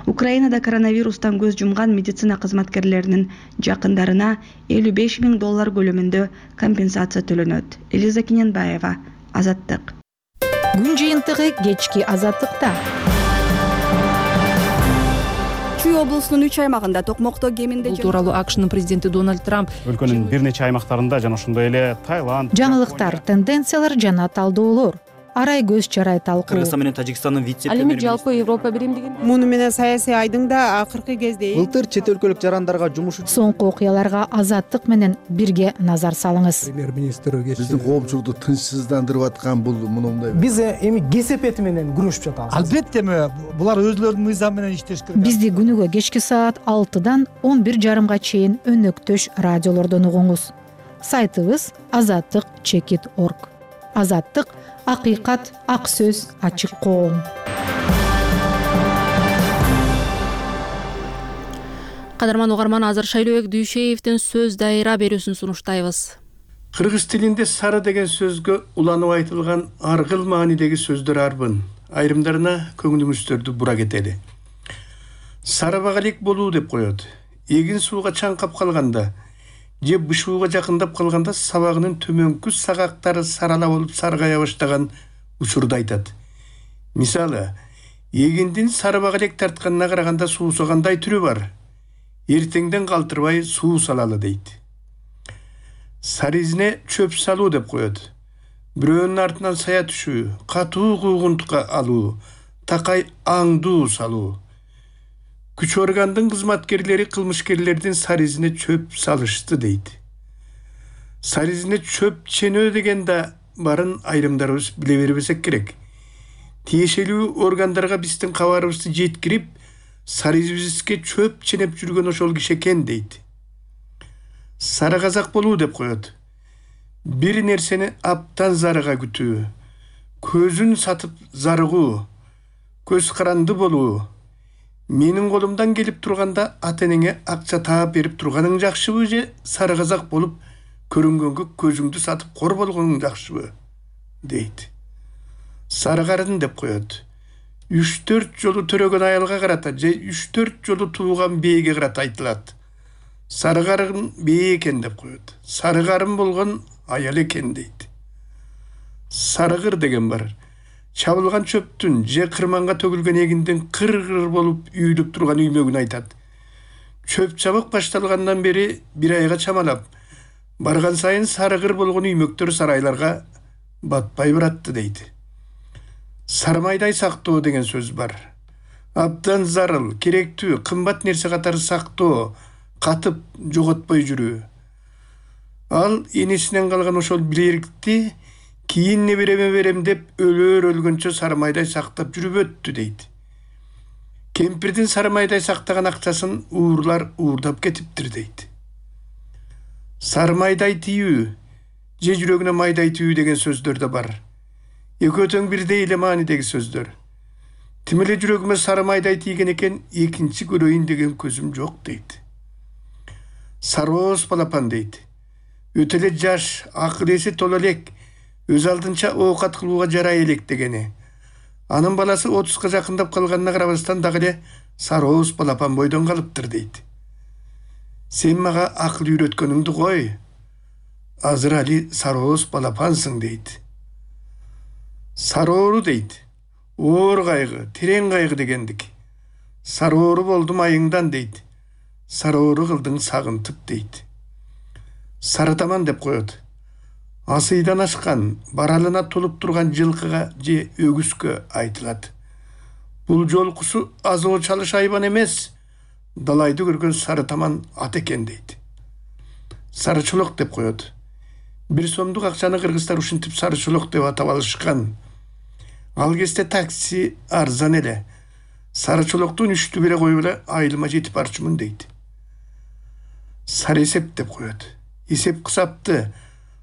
Speaker 23: Украинада коронавирустан көз жумган медицина кызматкерлеринин жакындарына элүү беш миң доллар көлөмүндө компенсация төлөнөт. Элиза Кененбаева, Азаттык.
Speaker 6: Күн жыйынтыгы кечки Азаттыкта.
Speaker 23: Чүй облусунун үч аймагында токмокто кеминде
Speaker 6: Бул тууралуу АКШнын президенти Дональд Трамп
Speaker 7: өлкөнүн бир нече аймактарында жана ошондой эле Таиланд,
Speaker 6: жаңылыктар, тенденциялар жана талдоолор, арай көз чарай талкуу.
Speaker 7: Кыргызстан менен Тажикстандын вице-премьери.
Speaker 6: Ал эми жалпы Европа биримдигинде
Speaker 8: муну менен саясий айдың да акыркы кезде
Speaker 7: Былтыр чет өлкөлүк жарандарга жумуш үчүн
Speaker 6: соңку окуяларга Азаттык менен бирге назар салыңыз.
Speaker 7: премьер-министр
Speaker 10: биздин коомчулукту тынчсыздандырып аткан бул мындай.
Speaker 7: Биз эми кесепети менен күрөшүп жатабыз. Албетте булар өзлөрүнүн мыйзамы менен иштеш керек.
Speaker 6: Бизди күнүгө кечки саат алтыдан он бир жарымга чейин өнөктөш радиолордон угуңуз. Сайтыбыз азаттык чекит точка орг. Азаттык — акыйкат, ак сөз, ачык коом.
Speaker 1: Кадырман угарман, азыр Шайлообек Дүйшеевдин сөз дайыра берүүсүн сунуштайбыз.
Speaker 11: Кыргыз тилинде сары деген сөзгө уланып айтылган аргыл маанидеги сөздөр арбын. Айрымдарына көңүлүңүздөрдү бура кетели. Сары багалек болуу деп коет. Эгин сууга чаңкап калганда же бышууга жакындап калганда сабагынын төмөнкү сагактары сарала болуп саргая баштаган учурду айтат. Мисалы, эгиндин сары багалек тартканына караганда суусагандай түрү бар. Эртеңден калтырбай суу салалы дейт. Сары изине чөп салуу деп коет. Бирөөнүн артынан сая түшүү, катуу куугунтукка алуу, такай аңдуу салуу. Күч органдын кызматкерлери кылмышкерлердин сары изине чөп салышты дейт. Сары изине чөп ченөө деген да барын айрымдарыбыз биле бербесек керек. Тиешелүү органдарга биздин кабарыбызды жеткирип, сары изибизге чөп ченеп жүргөн ошол киши экен дейт. Сары казак болуу деп коет. Бир нерсени аптан зарыга күтүү, көзүн сатып зарыгуу, көз каранды болуу. Менин колумдан келип турганда ата-энеңе акча таап берип турганың жакшыбы же сары казак болуп көрүнгөнгө көзүңдү сатып кор болгоның жакшыбы дейт. Сары карын деп коет. үч төрт жолу төрөгөн аялга карата же үч төрт жолу тууган бээге карата айтылат. Сары карын бээ экен деп коет. Сары карын болгон аял экен дейт. Сарыгыр деген бар. Чабылган чөптүн же кырманга төгүлгөн эгиндин кыр-кыр болуп үйүлүп турган үймөгүн айтат. Чөп чабык башталгандан бери бир айга чамалап, барган сайын сарыгыр болгон үймөктөр сарайларга батпай баратты дейт. Сармайдай сактоо деген сөз бар. Абдан зарыл, керектүү, кымбат нерсе катары сактоо, катып жоготпой жүрүү. Ал энесинен калган ошол билерикти кийин небереме берем деп өлөр өлгөнчө сармайдай сактап жүрүп өттү дейт. Кемпирдин сармайдай сактаган акчасын уурлар уурдап кетиптир дейт. Сармайдай тийүү же жүрөгүнө майдай тийүү деген сөздөр да бар. Экөө тең бирдей эле маанидеги сөздөр. Тим эле жүрөгүмө сармайдай тийген экен, экинчи көрөйүн деген көзүм жок дейт. Сарооз балапан дейт. Өтө эле жаш, акыл эси тола элек, өз алдынча оокат кылууга жарай элек дегени. Анын баласы отузга жакындап калганына карабастан дагы эле сарооз балапан бойдон калыптыр дейт. Сен мага акыл үйрөткөнүңдү кой. Азыр али сарооз балапансың дейт. Сароору дейт. Оор кайгы, терең кайгы дегендик. Сароору болдум айыңдан дейт. Сароору кылдың сагынтып дейт. Сарытаман деп коет. Асыйдан ашкан, баралына толуп турган жылкыга же өгүскө айтылат. Бул жолкусу азоо чалыш айбан эмес, далайды көргөн сарытаман ат экен дейт. Сарычолок деп коет. Бир сомдук акчаны кыргыздар ушинтип сарычолок деп атап алышкан. Ал кезде такси арзан эле. Сарычолоктун үчтү бире коюп эле айылыма жетип барчумун дейт. Сары эсеп деп коет. эсеп кысапты,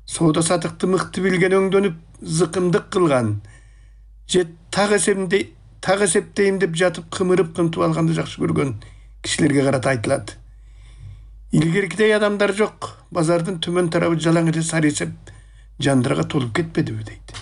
Speaker 11: соода сатыкты мыкты билген өңдөнүп зыкымдык кылган же так эсепте так эсептейм деп жатып кымырып кынтып алганды жакшы көргөн кишилерге карата айтылат. Илгеркидей адамдар жок, базардын төмөн тарабы жалаң эле сары эсеп жандырга толуп кетпедиби дейт.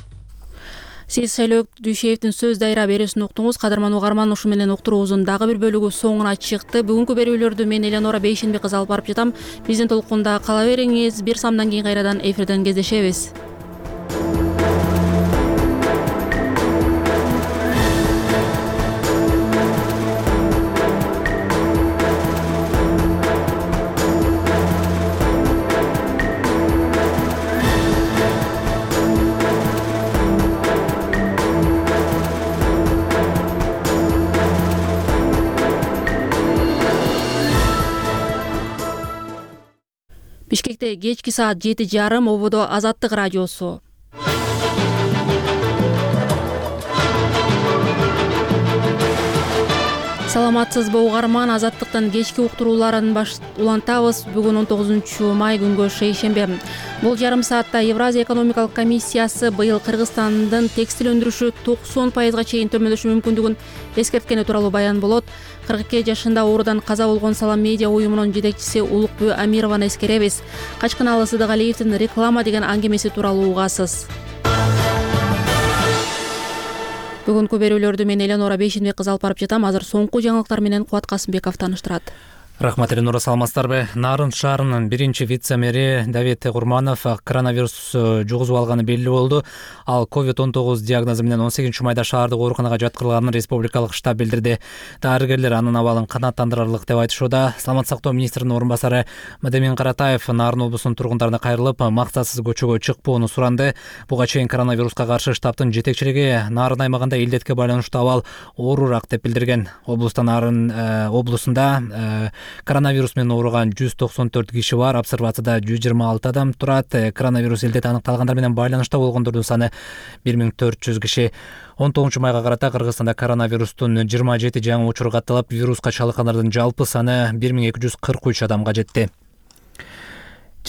Speaker 1: Сиз Шайлоо Дүйшеевдин сөз дайра берүүсүн уктуңуз. Кадырман угарман, ушу менен уктуруубуздун дагы бир бөлүгү соңуна чыкты. Бүгүнкү берүүлөрдү мен Элеонора Бейшенбек кызы алып барып жатам. Биздин толкунда кала бериңиз. Бир самдан кийин кайрадан эфирден кездешебиз. Бишкекте кечки саат жети жарым ободо Азаттык радиосу. Саламатсызбы угарман, Азаттыктын кечки уктурууларын баш улантабыз. Бүгүн он тогузунчу май күнгө шейшембе. Бул жарым саатта Евразия экономикалык комиссиясы быйыл Кыргызстандын текстил өндүрүшү токсон пайызга чейин төмөндөшү мүмкүндүгүн эскерткени тууралуу баян болот. кырк эки жашында оорудан каза болгон Салам медиа уюмунун жетекчиси Улукбү Амированы эскеребиз. Качкыналы Сыдыгалиевдин реклама деген аңгемеси тууралуу угасыз. Бүгүнкү берүүлөрдү мен Элеонора Бейшенбек кызы алып барып жатам. Азыр соңку жаңылыктар менен Кубат Касымбеков тааныштырат.
Speaker 3: Рахмат, Элеонора, саламатсыздарбы? Нарын шаарынын биринчи вице-мэри Давид Курманов коронавирус жугузуп алганы белгилүү болду. Ал ковид он тогуз диагнозу менен он сегизинчи майда шаардык ооруканага жаткырылганын республикалык штаб билдирди. Дарыгерлер анын абалын канааттандырарлык деп айтышууда. Саламат сактоо министринин орун басары Мадемин Каратаев Нарын облусунун тургундарына кайрылып, максатсыз көчөгө чыкпоону суранды. Буга чейин коронавируска каршы штабтын жетекчилиги Нарын аймагында илдетке байланыштуу абал оорураак деп билдирген. Облуста Нарын облусунда коронавирус менен ооруган жүз токсон төрт киши бар. Обсервацияда жүз жыйырма алты адам турат. Коронавирус илдети аныкталгандар менен байланышта болгондордун саны бир миң төрт жүз киши. он тогузунчу майга карата Кыргызстанда коронавирустун жыйырма жети жаңы учуру катталып, вируска чалдыккандардын жалпы саны бир миң эки жүз кырк үч адамга жетти.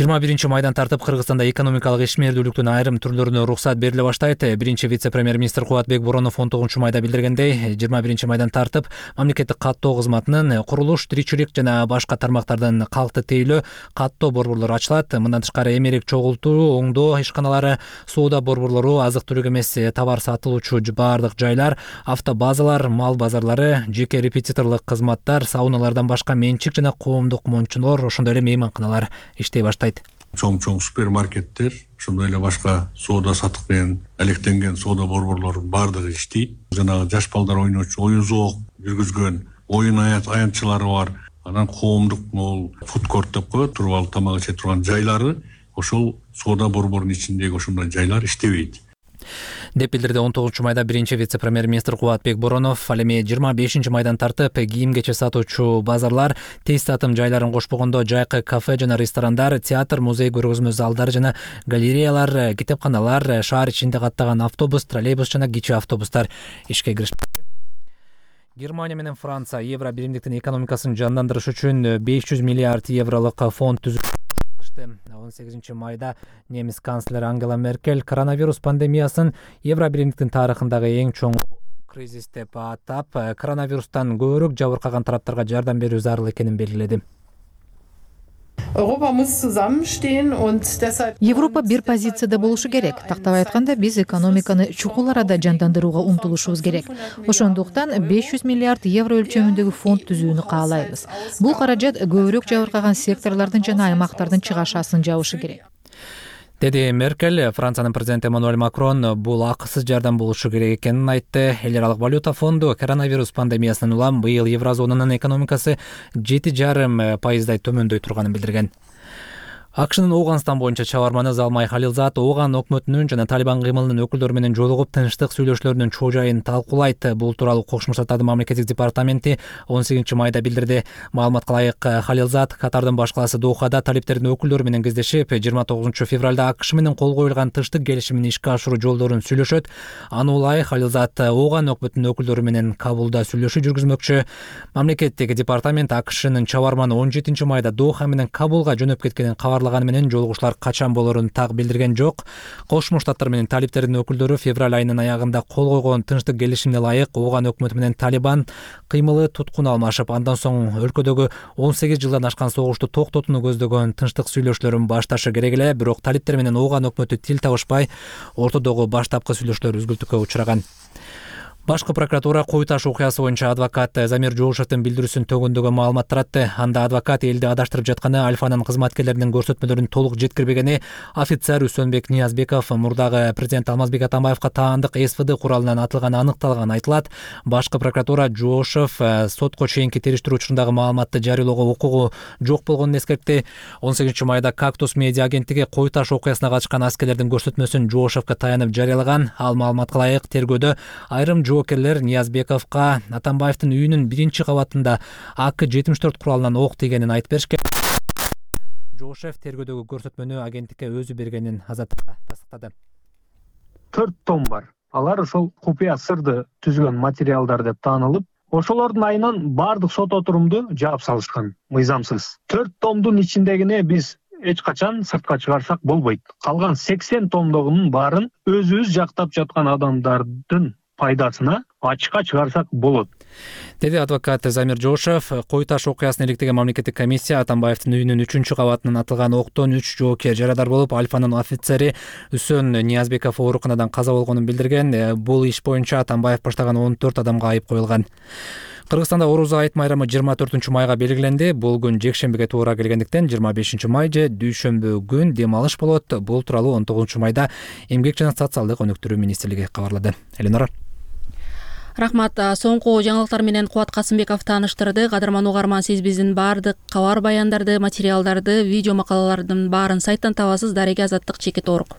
Speaker 3: жыйырма биринчи майдан тартып Кыргызстанда экономикалык ишмердүүлүктүн айрым түрлөрүнө уруксат бериле баштайт. Биринчи вице-премьер-министр Кубатбек Боронов он тогузунчу майда билдиргендей, жыйырма биринчи майдан тартып мамлекеттик каттоо кызматынын курулуш, тиричилик жана башка тармактардын калкты тейлөө, каттоо борборлору ачылат. Мындан тышкары эмерек чогултуу, оңдоо ишканалары, соода борборлору, азык-түлүк эмес товар сатылуучу баардык жайлар, автобазалар, мал базарлары, жеке репетиторлук кызматтар, сауналардан башка менчик жана коомдук мончулар, ошондой эле мейманканалар иштей баштайт.
Speaker 9: Чоң-чоң супермаркеттер, ошондой эле башка соода сатык менен алектенген соода борборлору баардыгы иштейт. Жанагы жаш балдар ойночу, оюн зоок жүргүзгөн оюн аянтчылары бар. Анан коомдук могул фудкорт деп коет, туруп алып тамак иче турган жайлары, ошол соода борборунун ичиндеги ошондой жайлар иштебейт
Speaker 3: деп билдирди он тогузунчу майда биринчи вице-премьер-министр Кубатбек Боронов. Ал эми жыйырма бешинчи майдан тартып кийим-кече сатуучу базарлар, тез сатым жайларын кошпогондо жайкы кафе жана ресторандар, театр, музей, көргөзмө залдары жана галереялар, китепканалар, шаар ичинде каттаган автобус, троллейбус жана кичи автобустар ишке киришти. Германия менен Франция евро биримдиктин экономикасын жандандырыш үчүн беш жүз миллиард евролук фонд түзүп он сегизинчи майда немис канцлери Ангела Меркель коронавирус пандемиясын евро биримдиктин тарыхындагы эң чоң кризис деп атап, коронавирустан көбүрөөк жабыркаган тараптарга жардам берүү зарыл экенин белгиледи.
Speaker 6: Европа бир позицияда болушу керек. Тактап айтканда, биз экономиканы чукул арада жандандырууга умтулушубуз керек. Ошондуктан беш жүз миллиард евро өлчөмүндөгү фонд түзүүнү каалайбыз. Бул каражат көбүрөөк жабыркаган секторлордун жана аймактардын чыгашасын жабышы керек,
Speaker 3: деди Меркель. Франциянын президенти Эммануэль Макрон бул акысыз жардам болушу керек экенин айтты. Эл аралык валюта фонду коронавирус пандемиясынан улам быйыл еврозонанын экономикасы жети жарым пайыздай төмөндөй турганын билдирген. АКШнын Ооганстан боюнча чабарманы Залмай Халилзат Ооган өкмөтүнүн жана Талибан кыймылынын өкүлдөрү менен жолугуп тынчтык сүйлөшүүлөрүнүн чоо жайын талкуулайт. Бул тууралуу Кошмо Штаттардын мамлекеттик департаменти он сегизинчи майда билдирди. Маалыматка ылайык, Халилзат Катардын баш калаасы Дохада талиптердин өкүлдөрү менен кездешип, жыйырма тогузунчу февралда АКШ менен кол коюлган тынчтык келишимин ишке ашыруу жолдорун сүйлөшөт. Аны улай Халилзат Ооган өкмөтүнүн өкүлдөрү менен Кабулда сүйлөшүү жүргүзмөкчү. Мамлекеттик департамент АКШнын чабарманы он жетинчи майда Доха менен Кабулга жөнөп кеткенин кабар кабарлаганы менен жолугушуулар качан болорун так билдирген жок. Кошмо Штаттар менен талиптердин өкүлдөрү февраль айынын аягында кол койгон тынчтык келишимине ылайык Ооган өкмөтү менен Талибан кыймылы туткун алмашып, андан соң өлкөдөгү он сегиз жылдан ашкан согушту токтотууну көздөгөн тынчтык сүйлөшүүлөрүн башташы керек эле. Бирок талиптер менен Ооган өкмөтү тил табышпай, ортодогу баштапкы сүйлөшүүлөр үзгүлтүккө учураган. Башкы прокуратура кой таш окуясы боюнча адвокат Замир Жоошевдин билдирүүсүн төгүндөгү маалымат таратты. Анда адвокат элди адаштырып жатканы, Альфанын кызматкерлеринин көрсөтмөлөрүн толук жеткирбегени, офицер Үсөнбек Ниязбеков мурдагы президент Алмазбек Атамбаевка таандык эс вэ дэ куралынан атылганы аныкталганы айтылат. Башкы прокуратура Жоошев сотко чейинки териштирүү учурундагы маалыматты жарыялоого укугу жок болгонун эскертти. он сегизинчи майда Кактус медиа агенттиги кой таш окуясына катышкан аскерлердин көрсөтмөсүн Жоошевке таянып жарыялаган. Ал маалыматка ылайык тергөөдө айрым жоокерлер Ниязбековго Атамбаевдин үйүнүн биринчи кабатында А К жетимиш төрт куралынан ок тийгенин айтып беришкен. Жоошев тергөөдөгү көрсөтмөнү агенттикке өзү бергенин азаттыкка тастыктады.
Speaker 12: төрт том бар. Алар ошол купуя сырды түзгөн материалдар деп таанылып, ошолордун айынан баардык сот отурумду жаап салышкан, мыйзамсыз. төрт томдун ичиндегине биз эч качан сыртка чыгарсак болбойт. Калган сексен томдогунун баарын өзүбүз жактап жаткан адамдардын пайдасына ачыкка чыгарсак болот,
Speaker 3: деди адвокат Замир Жоошев. Кой таш окуясын иликтеген мамлекеттик комиссия Атамбаевдин үйүнүн үчүнчү кабатынан атылган октон үч жоокер жарадар болуп, Альфанын офицери Үсөн Ниязбеков ооруканадан каза болгонун билдирген. Бул иш боюнча Атамбаев баштаган он төрт адамга айып коюлган. Кыргызстанда Орозо айт майрамы жыйырма төртүнчү майга белгиленди. Бул күн жекшембиге туура келгендиктен жыйырма бешинчи май же дүйшөмбү күн дем алыш болот. Бул тууралуу он тогузунчу майда Эмгек жана социалдык өнүктүрүү министрлиги кабарлады. Эленора.
Speaker 1: Рахмат. Соңку жаңылыктар менен Кубат Касымбеков тааныштырды. Кадырман угарман, сиз биздин баардык кабар баяндарды, материалдарды, видео макалалардын баарын сайттан табасыз. Дареги Азаттык чекит орг.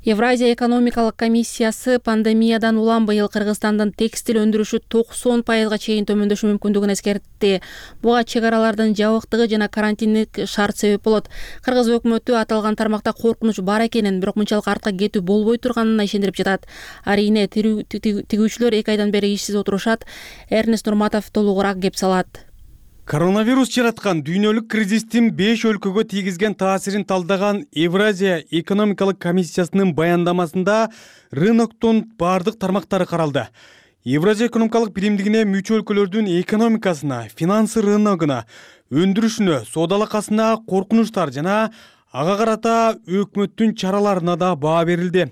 Speaker 1: Евразия экономикалык комиссиясы пандемиядан улам быйыл Кыргызстандын текстил өндүрүшү токсон пайызга чейин төмөндөшү мүмкүндүгүн эскертти. Буга чек аралардын жабыктыгы жана карантиндик шарт себеп болот. Кыргыз өкмөтү аталган тармакта коркунуч бар экенин, бирок мынчалык артка кетүү болбой турганына ишендирип жатат. Арине тигүүчүлөр эки айдан бери ишсиз отурушат. Эрнест Нурматов толугураак кеп салат.
Speaker 13: Коронавирус жараткан дүйнөлүк кризистин беш өлкөгө тийгизген таасирин талдаган Евразия экономикалык комиссиясынын баяндамасында рыноктун бардык тармактары каралды. Евразия экономикалык биримдигине мүчө өлкөлөрдүн экономикасына, финансы рыногуна, өндүрүшүнө, соодалакасына коркунучтар жана ага карата өкмөттүн чараларына да баа берилди.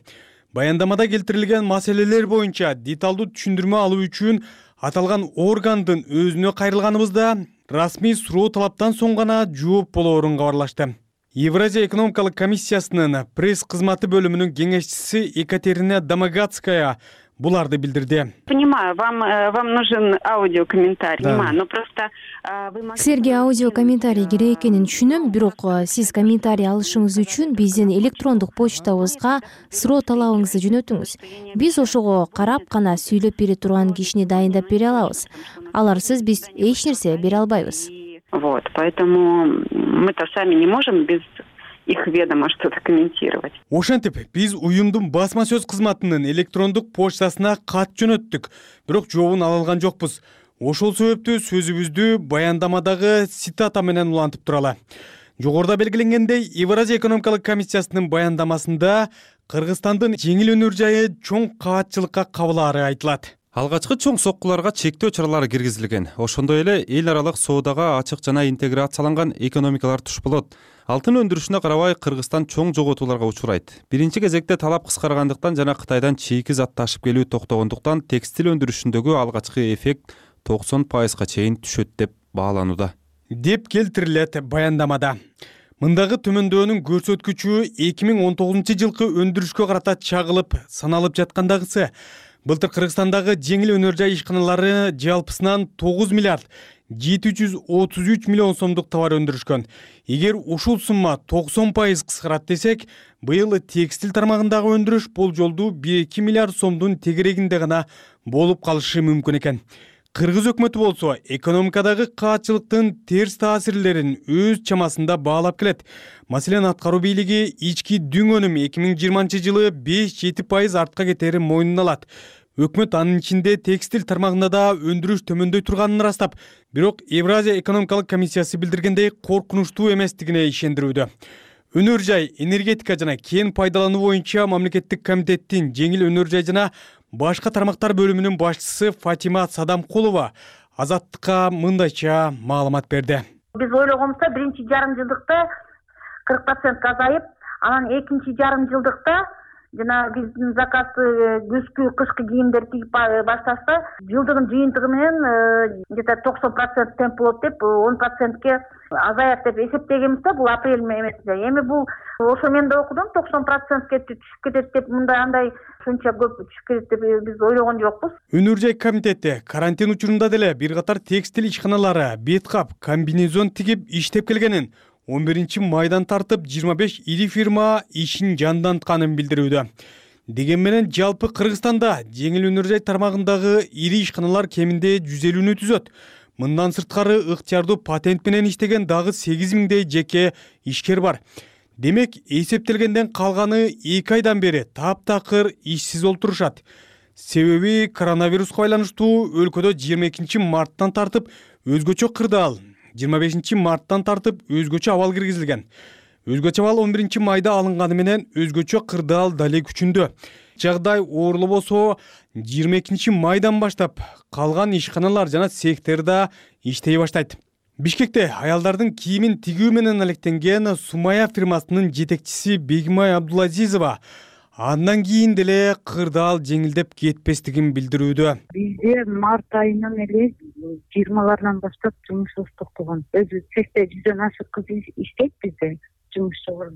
Speaker 13: Баяндамада келтирилген маселелер боюнча деталдуу түшүндүрмө алуу үчүн аталган органдын өзүнө кайрылганыбызда расмий суроо талаптан соң гана жооп болоорун кабарлашты. Евразия экономикалык комиссиясынын пресс кызматы бөлүмүнүн кеңешчиси Екатерина Домогацкая буларды билдирди.
Speaker 14: Понимаю, вам вам нужен аудиокомментарий. Понимаю, но просто
Speaker 15: силерге аудио комментарий керек экенин түшүнөм, бирок сиз комментарий алышыңыз үчүн биздин электрондук почтабызга суроо талабыңызды жөнөтүңүз. Биз ошого карап гана сүйлөп бере турган кишини дайындап бере алабыз. Аларсыз биз эч нерсе бере албайбыз.
Speaker 14: Вот, поэтому мы-то сами не можем без их ведомо что-то комментировать.
Speaker 13: Ошентип, биз уюмдун басма сөз кызматынын электрондук почтасына кат жөнөттүк, бирок жообун ала алган жокпуз. Ошол себептүү сөзүбүздү баяндамадагы цитата менен улантып туралы. Жогоруда белгиленгендей, Евразия экономикалык комиссиясынын баяндамасында Кыргызстандын жеңил өнөр жайы чоң кабатчылыкка кабылаары айтылат.
Speaker 16: Алгачкы чоң соккуларга чектөө чаралары киргизилген. Ошондой эле эл аралык соодага ачык жана интеграцияланган экономикалар туш болот. Алтын өндүрүшүнө карабай Кыргызстан чоң жоготууларга учурайт. Биринчи кезекте талап кыскаргандыктан жана Кытайдан чийки зат ташып келүү токтогондуктан текстил өндүрүшүндөгү алгачкы эффект токсон пайызга чейин түшөт деп бааланууда.
Speaker 13: Деп келтирилет баяндамада. Мындагы төмөндөөнүн көрсөткүчү эки миң он тогузунчу жылкы өндүрүшкө карата чагылып саналып жаткандагысы. Былтыр Кыргызстандагы жеңил өнөр жай ишканалары жалпысынан тогуз миллиард жети жүз отуз үч миллион сомдук товар өндүрүшкөн. Эгер ушул сумма токсон пайыз кыскарат десек, быйыл текстил тармагындагы өндүрүш болжолдуу эки миллиард сомдун тегерегинде гана болуп калышы мүмкүн экен. Кыргыз өкмөтү болсо экономикадагы каатчылыктын терс таасирлерин өз чамасында баалап келет. Маселен, аткаруу бийлиги ички дүң өнүм эки миң жыйырманчы жылы беш жети пайыз артка кетерин мойнуна алат. Өкмөт анын ичинде текстиль тармагында да өндүрүш төмөндөй турганын ырастап, бирок Евразия экономикалык комиссиясы билдиргендей коркунучтуу эместигине ишендирүүдө. Өнөр жай, энергетика жана кен пайдалануу боюнча мамлекеттик комитеттин жеңил өнөр жай жана башка тармактар бөлүмүнүн башчысы Фатима Садамкулова Азаттыкка мындайча маалымат берди.
Speaker 4: Биз ойлогонбузда биринчи жарым жылдыкта кырк процентке азайып, анан экинчи жарым жылдыкта жана биздин заказды күзгү кышкы кийимдер тигип башташта жылдыгын жыйынтыгы менен где-то токсон процент темп болот деп он процентке азаят деп эсептегенбиз да, бул апрель эмесинде. Эми бул ошо мен да окудум, токсон процентке түшүп кетет деп, мындай андай ушунча көп түшүп кетет деп биз ойлогон жокпуз.
Speaker 13: Өнөр жай комитети карантин учурунда деле бир катар текстиль ишканалары бет кап, комбинезон тигип иштеп келгенин, он биринчи майдан тартып жыйырма беш ири фирма ишин жандантканын билдирүүдө. Деген менен жалпы Кыргызстанда жеңил өнөр жай тармагындагы ири ишканалар кеминде жүз элүүнү түзөт. Мындан сырткары ыктыярдуу патент менен иштеген дагы сегиз миңдей жеке ишкер бар. Демек, эсептелгенден калганы эки айдан бери таптакыр ишсиз олтурушат. Себеби коронавируска байланыштуу өлкөдө жыйырма экинчи марттан тартып өзгөчө кырдаал, жыйырма бешинчи марттан тартып өзгөчө абал киргизилген. Өзгөчө абал он биринчи майда алынганы менен өзгөчө кырдаал дале күчүндө. Жагдай оорлобосо жыйырма экинчи майдан баштап калган ишканалар жана цехтерде иштей баштайт. Бишкекте аялдардын кийимин тигүү менен алектенген Сумая фирмасынын жетекчиси Бегимай Абдулазизова андан кийин деле кырдаал жеңилдеп кетпестигин билдирүүдө.
Speaker 5: Бизде март айынан эле жыйырмаларынан баштап жумушубуз токтогон. Өзү цехте жүздөн ашык кыз иштейт бизде жумушчу.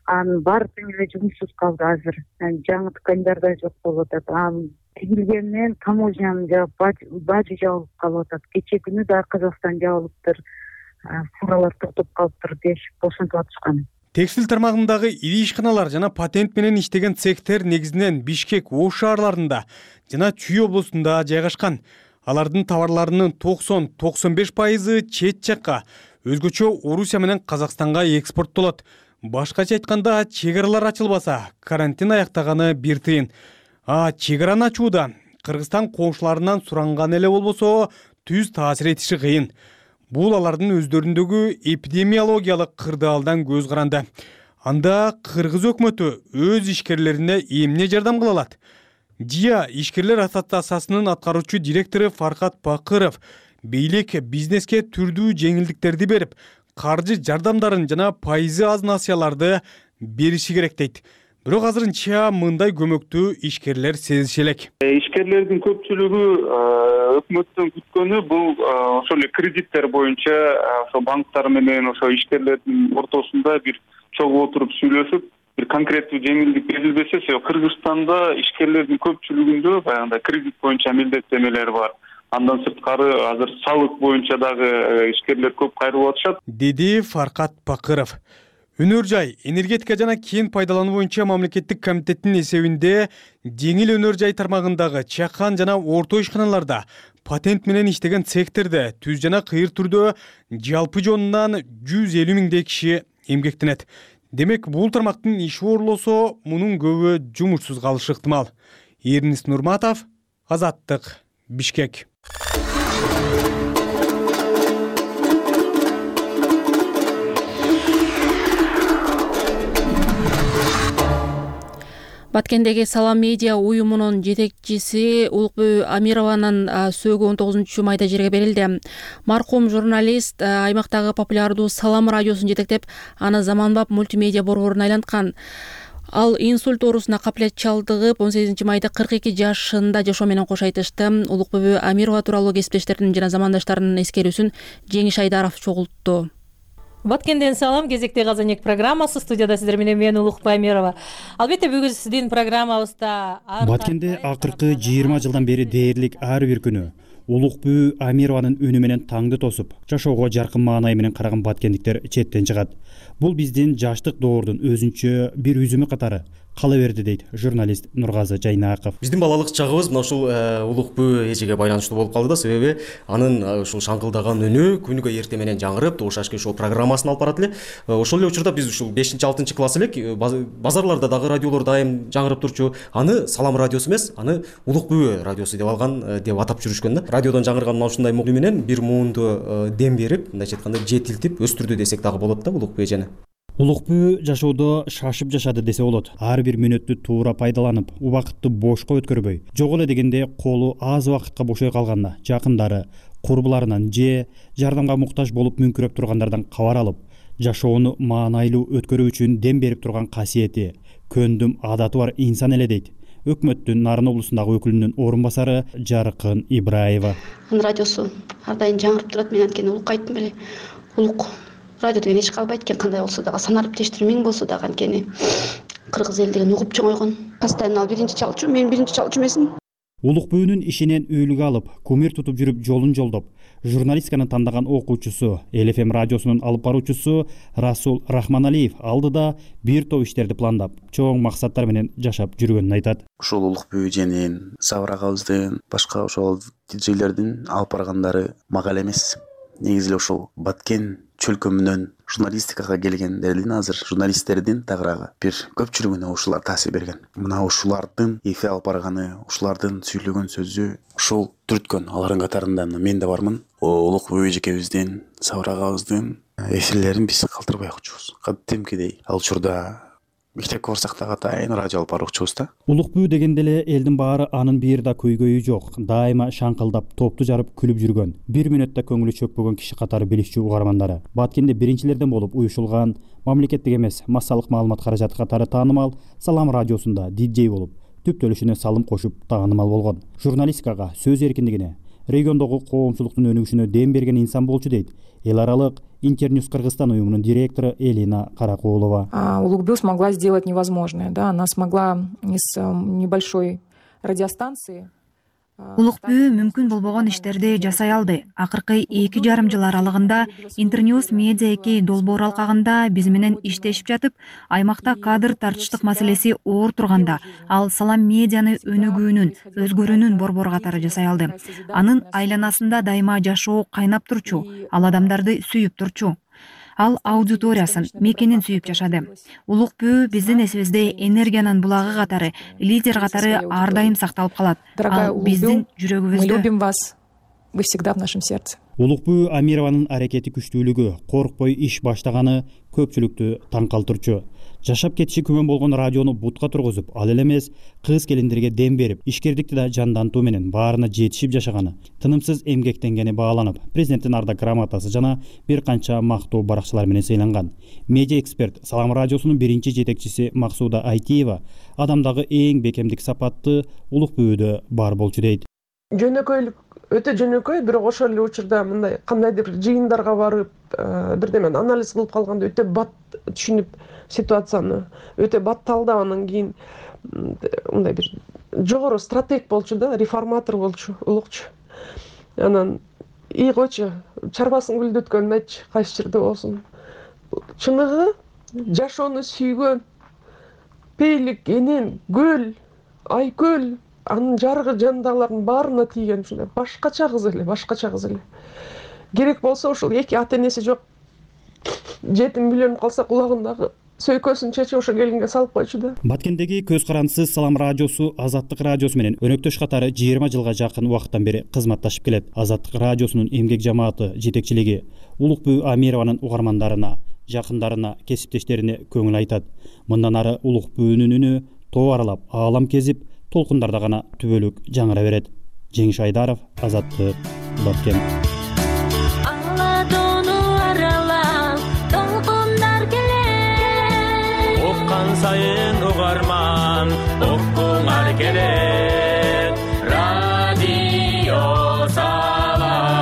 Speaker 5: Анын баары тең эле жумушсуз калды азыр. Жаңы ткандар да жок болуп атат. Анын тигилгенинен таможняны жаап, бажы жабылып калып атат. Кечээ күнү да Казакстан жабылыптыр, фуралар токтоп калыптыр деп бошонтуп атышкан.
Speaker 13: Текстиль тармагындагы ири ишканалар жана патент менен иштеген цехтер негизинен Бишкек, Ош шаарларында жана Чүй облусунда жайгашкан. Алардын товарларынын токсон — токсон беш пайызы чет жакка, өзгөчө Орусия менен Казакстанга экспорттолот. Башкача айтканда, чек аралар ачылбаса, карантин аяктаганы бир тыйын. А чек араны ачууда Кыргызстан коңшуларынан суранган эле болбосо түз таасир этиши кыйын. Бул алардын өздөрүндөгү эпидемиологиялык кырдаалдан көз каранды. Анда Кыргыз өкмөтү өз ишкерлерине эмне жардам кыла алат? ЖИА ишкерлер ассоциациясынын аткаруучу директору Фаркат Бакыров бийлик бизнеске түрдүү жеңилдиктерди берип, каржы жардамдарын жана пайызы аз насыяларды бериши керек дейт. Бирок азырынча мындай көмөктү ишкерлер сезиши элек.
Speaker 17: Ишкерлердин көпчүлүгү өкмөттөн күткөнү бул ошо эле кредиттер боюнча ошо банктар менен ошо ишкерлердин ортосунда бир чогуу отуруп сүйлөшүп, бир конкреттүү жеңилдик берилбесе, Кыргызстанда ишкерлердин көпчүлүгүндө баягындай кредит боюнча милдеттенмелер бар. Андан сырткары азыр салык боюнча дагы ишкерлер көп кайрылып атышат,
Speaker 13: деди Фаркат Бакыров. Өнөр жай, энергетика жана кен пайдалануу боюнча мамлекеттик комитеттин эсебинде жеңил өнөр жай тармагындагы чакан жана орто ишканаларда патент менен иштеген цехтерде түз жана кыйыр түрдө жалпы жонунан жүз элүү миңдей киши эмгектенет. Демек, бул тармактын иши оорлосо, мунун көбү жумушсуз калышы ыктымал. Эрнис Нурматов, Азаттык, Бишкек.
Speaker 1: Баткендеги Салам медиа уюмунун жетекчиси Улукбүй Амированын сөөгү он тогузунчу майда жерге берилди. Маркум журналист аймактагы популярдуу Салам радиосун жетектеп, аны заманбап мультимедиа борборуна айланткан. Ал инсульт оорусуна капилет чалдыгып, он сегизинчи майда кырк эки жашында жашоо менен кош айтышты. Улукбүй Амирова тууралуу кесиптештеринин жана замандаштарынын эскерүүсүн Жеңиш Айдаров чогултту.
Speaker 18: Баткенден салам, кезекте Казанек программасы, студияда сиздер менен мен Улукбай Амирова. Албетте бүгүн сиздин программабызда
Speaker 19: Баткенде акыркы жыйырма жылдан бери дээрлик ар бир күнү Улукбүй Амированын үнү менен таңды тосуп, жашоого жаркын маанай менен караган баткендиктер четтен чыгат. Бул биздин жаштык доордун өзүнчө бир үзүмү катары кала берди дейт журналист Нургазы Жайнаков.
Speaker 20: Биздин балалык чагыбыз мына ушул улук бүү эжеге байланыштуу болуп калды да, себеби анын ушул шаңкылдаган үнү күнүгө эртең менен жаңырып, Добуш ашки ошол программасын алып барат эле. Ошол эле учурда биз ушул бешинчи алтынчы класс элек, базарларда дагы радиолор дайым жаңырып турчу. Аны Салам радиосу эмес, аны Улук бүү радиосу деп алган, деп атап жүрүшкөн да. Радиодон жаңырган мына ушундай мугу менен бир муунду дем берип, мындайча айтканда жетилтип өстүрдү десек дагы болот да Улук бүү эжени.
Speaker 19: Улук бүү жашоодо шашып жашады десе болот. Ар бир мүнөттү туура пайдаланып, убакытты бошко өткөрбөй, жок эле дегенде колу аз убакытка бошой калганда жакындары, курбуларынан же жардамга муктаж болуп мүңкүрөп тургандардан кабар алып, жашоону маанайлуу өткөрүү үчүн дем берип турган касиети, көндүм адаты бар инсан эле дейт өкмөттүн Нарын облусундагы өкүлүнүн орун басары Жаркын Ибраева.
Speaker 21: Анын радиосу ар дайым жаңырып турат. Мен анткени улукка айттым эле. Улук радио деген эч калбайт экен, кандай болсо дагы, санариптештери миң болсо дагы, анткени кыргыз эл деген угуп чоңойгон. Постоянно ал биринчи чалчу, мен биринчи чалчу эмесмин.
Speaker 19: Улук бүүнүн ишинен үйлүк алып, кумир тутуп жүрүп жолун жолдоп, журналистиканы тандаган окуучусу, Эл Эф Эм радиосунун алып баруучусу Расул Рахманалиев алдыда бир топ иштерди пландап, чоң максаттар менен жашап жүргөнүн айтат.
Speaker 22: Ушул улук бүү эженин, Сабыр агабыздын, башка ошол диджейлердин алып баргандары мага эле эмес. Негизи эле ушул Баткен чөлкөмүнөн журналистикага келгендердин, азыр журналисттердин тагыраагы бир көпчүлүгүнө ушулар таасир берген. Мына ушулардын эфир алып барганы, ушулардын сүйлөгөн сөзү ушул түрткөн. Алардын катарында мен да бармын. Улук бүү эжекебиздин, Сабыр агабыздын эфирлерин биз калтырбай окучубуз. Кадимкидей ал учурда мектепке барсак дагы атайын радио алып баруучубуз да.
Speaker 19: Улук бүү дегенде эле элдин баары анын бир да көйгөйү жок. Дайыма шаңкылдап, топту жарып күлүп жүргөн, бир мүнөттө көңүлү чөкпөгөн киши катары билишчү угармандары. Баткенде биринчилерден болуп уюшулган, мамлекеттик эмес массалык маалымат каражаты катары таанымал Салам радиосунда диджей болуп, түп төлүшүнө салым кошуп таанымал болгон. Журналистикага, сөз эркиндигине, региондогу коомчулуктун өнүгүшүнө дем берген инсан болчу дейт эл аралык Интерньюз Кыргызстан уюмунун директору Элина Каракулова.
Speaker 24: Улук бүү смогла сделать невозможное, да, она смогла из небольшой радиостанции.
Speaker 25: Улук бүү мүмкүн болбогон иштерди жасай алды. Акыркы эки жарым жыл аралыгында Интерньюз Медиа эки долбоор алкагында биз менен иштешип жатып, аймакта кадр тартыштык маселеси оор турганда, ал Салам медианы өнүгүүнүн, өзгөрүүнүн борбору катары жасай алды. Анын айланасында дайыма жашоо кайнап турчу, ал адамдарды сүйүп турчу. Ал аудиториясын, мекенин сүйүп жашады. Улук бүү биздин эсибизде энергиянын булагы катары, лидер катары ар дайым сакталып калат. Ал биздин жүрөгүбүздө.
Speaker 24: Мы любим вас. Вы всегда в нашем сердце.
Speaker 19: Улук бүү Амированын аракети күчтүүлүгү, коркпой иш баштаганы көпчүлүктү таң калтырчу. Жашап кетиши күмөн болгон радиону бутка тургузуп, ал эле эмес, кыз келиндерге дем берип, ишкердикти да жандантуу менен баарына жетишип жашаганы, тынымсыз эмгектенгени бааланып, президенттин ардак грамотасы жана бир канча мактоо баракчалар менен сыйланган. Медиа эксперт Салам радиосунун биринчи жетекчиси Максуда Айтиева адамдагы эң бекемдик сапатты улук бүүдө бар болчу дейт.
Speaker 26: Жөнөкөйлүк өтө жөнөкөй, бирок ошол эле учурда мындай кандайдыр жыйындарга барып, бирдемени анализ кылып калганда өтө бат түшүнүп ситуацияны, өтө бат талдап, анан кийин мындай бир жогору стратег болчу да, реформатор болчу, улукчу. Анан ий койчу, чарбасын гүлдөткөн айтчы, кайсы жерде болсун. Чыныгы жашоону сүйгөн, пейлик, энен, көл, айкөл, анын жарыгы жандагылардын баарына тийген, ушундай башкача кыз эле, башкача кыз эле. Керек болсо ошол эки ата энеси жок жетим үйлөнүп калса кулагындагы сөйкөсүн чечип ошо келинге салып койчу да.
Speaker 19: Баткендеги көз карандысыз Салам радиосу Азаттык радиосу менен өнөктөш катары жыйырма жылга жакын убакыттан бери кызматташып келет. Азаттык радиосунун эмгек жамааты жетекчилиги Улук бүү Амированын угармандарына, жакындарына, кесиптештерине көңүл айтат. Мындан ары Улук бүүнүн үнү тоо аралап, аалам кезип, толкундарда гана түбөлүк жаңыра берет. Жеңиш Айдаров, Азаттык, Баткен.
Speaker 27: Сайын угарман окуңар келет радио Салам.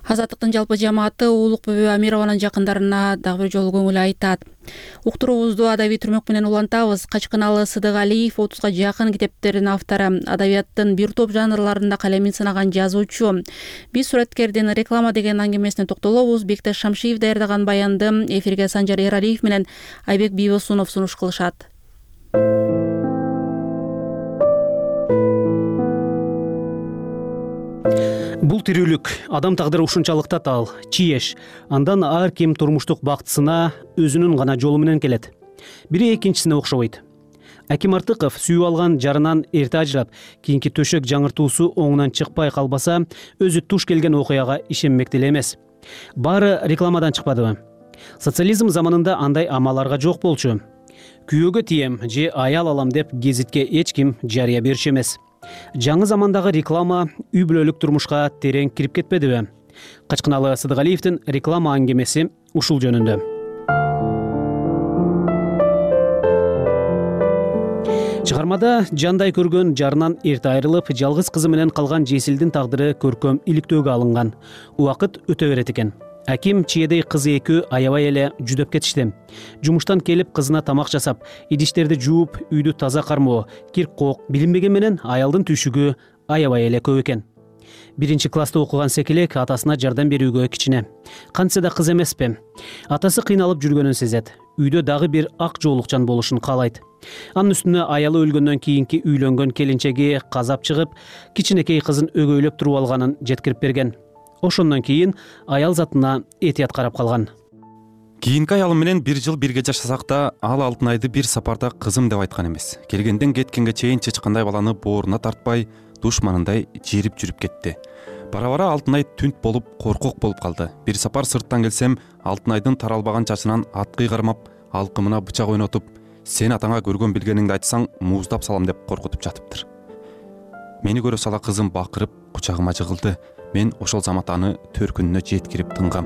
Speaker 1: Азаттыктын жалпы жамааты Улукбүбү Амированын жакындарына дагы бир жолу көңүл айтат. Уктуруубузду адабий түрмөк менен улантабыз. Качкыналы Сыдыгалиев отузга жакын китептердин автору, адабияттын бир топ жанрларында калемин сынаган жазуучу. Биз суреткердин реклама деген аңгемесине токтолобуз. Бектеш Шамшиев даярдаган баянды эфирге Санжар Эралиев менен Айбек Бийбосунов сунуш кылышат.
Speaker 2: Бул тирүүлүк, адам тагдыры ушунчалык татаал, чиеш. Андан ар ким турмуштук бактысына өзүнүн гана жолу менен келет. Бири экинчисине окшобойт. Аким Артыков сүйүп алган жарынан эрте ажырап, кийинки төшөк жаңыртуусу оңунан чыкпай калбаса, өзү туш келген окуяга ишенмек деле эмес. Баары рекламадан чыкпадыбы? Социализм заманында андай амаларга жок болчу. Күйөөгө тием же аял алам деп гезитке эч ким жарыя берчү эмес. Жаңы замандагы реклама үй бүлөлүк турмушка терең кирип кетпедиби? Качкыналы Сыдыгалиевдин реклама аңгемеси ушул жөнүндө. Чыгармада жандай көргөн жарынан эрте айрылып, жалгыз кызы менен калган Жесилдин тагдыры көркөм иликтөөгө алынган. Убакыт өтө берет экен. Аким чиедей кызы экөө аябай эле жүдөп кетишти. Жумуштан келип кызына тамак жасап, идиштерди жууп, үйдү таза кармоо, кир кок билинбеген менен аялдын түйшүгү аябай эле көп экен. Биринчи класста окуган Секелек атасына жардам берүүгө кичине. Кантсе да кыз эмеспи? Атасы кыйналып жүргөнүн сезет. Үйдө дагы бир ак жоолукчан болушун каалайт. Анын үстүнө аялы өлгөндөн кийинки үйлөнгөн келинчеги казап чыгып, кичинекей кызын өгөйлөп туруп алганын жеткирип берген. Ошондон кийин аял затына этият карап калган.
Speaker 16: Кийинки аялым менен бир жыл бирге жашасак да, ал Алтынайды бир сапарда кызым деп айткан эмес. Келгенден кеткенге чейин чычкандай баланы бооруна тартпай, душманындай жерип жүрүп кетти. Бара-бара Алтынай түнт болуп, коркок болуп калды. Бир сапар сырттан келсем, Алтынайдын таралбаган чачынан аткый кармап, алкымына бычак ойнотуп, сен атаңа көргөн билгениңди айтсаң, мууздап салам деп коркутуп жатыптыр. Мени көрө сала кызым бакырып, кучагыма жыгылды. Мен ошол замат аны төркүнүнө жеткирип тынгам.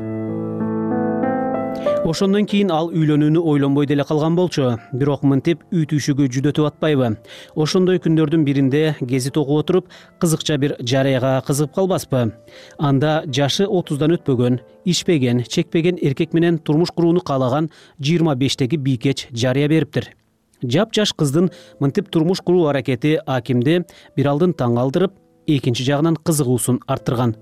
Speaker 2: Ошондон кийин ал үйлөнүүнү ойлонбой деле калган болчу. Бирок мынтип үй түйшүгү жүдөтүп атпайбы? Ошондой күндөрдүн биринде гезит окуп отуруп, кызыкча бир жарыяга кызыгып калбаспы? Анда жашы отуздан өтпөгөн, ишпеген, чекпеген эркек менен турмуш курууну каалаган жыйырма бештеги бийкеч жарыя бериптир. Жап-жаш кыздын мынтип турмуш куруу аракети Акимди бир алдын таң калтырып, экинчи жагынан кызыгуусун арттырган.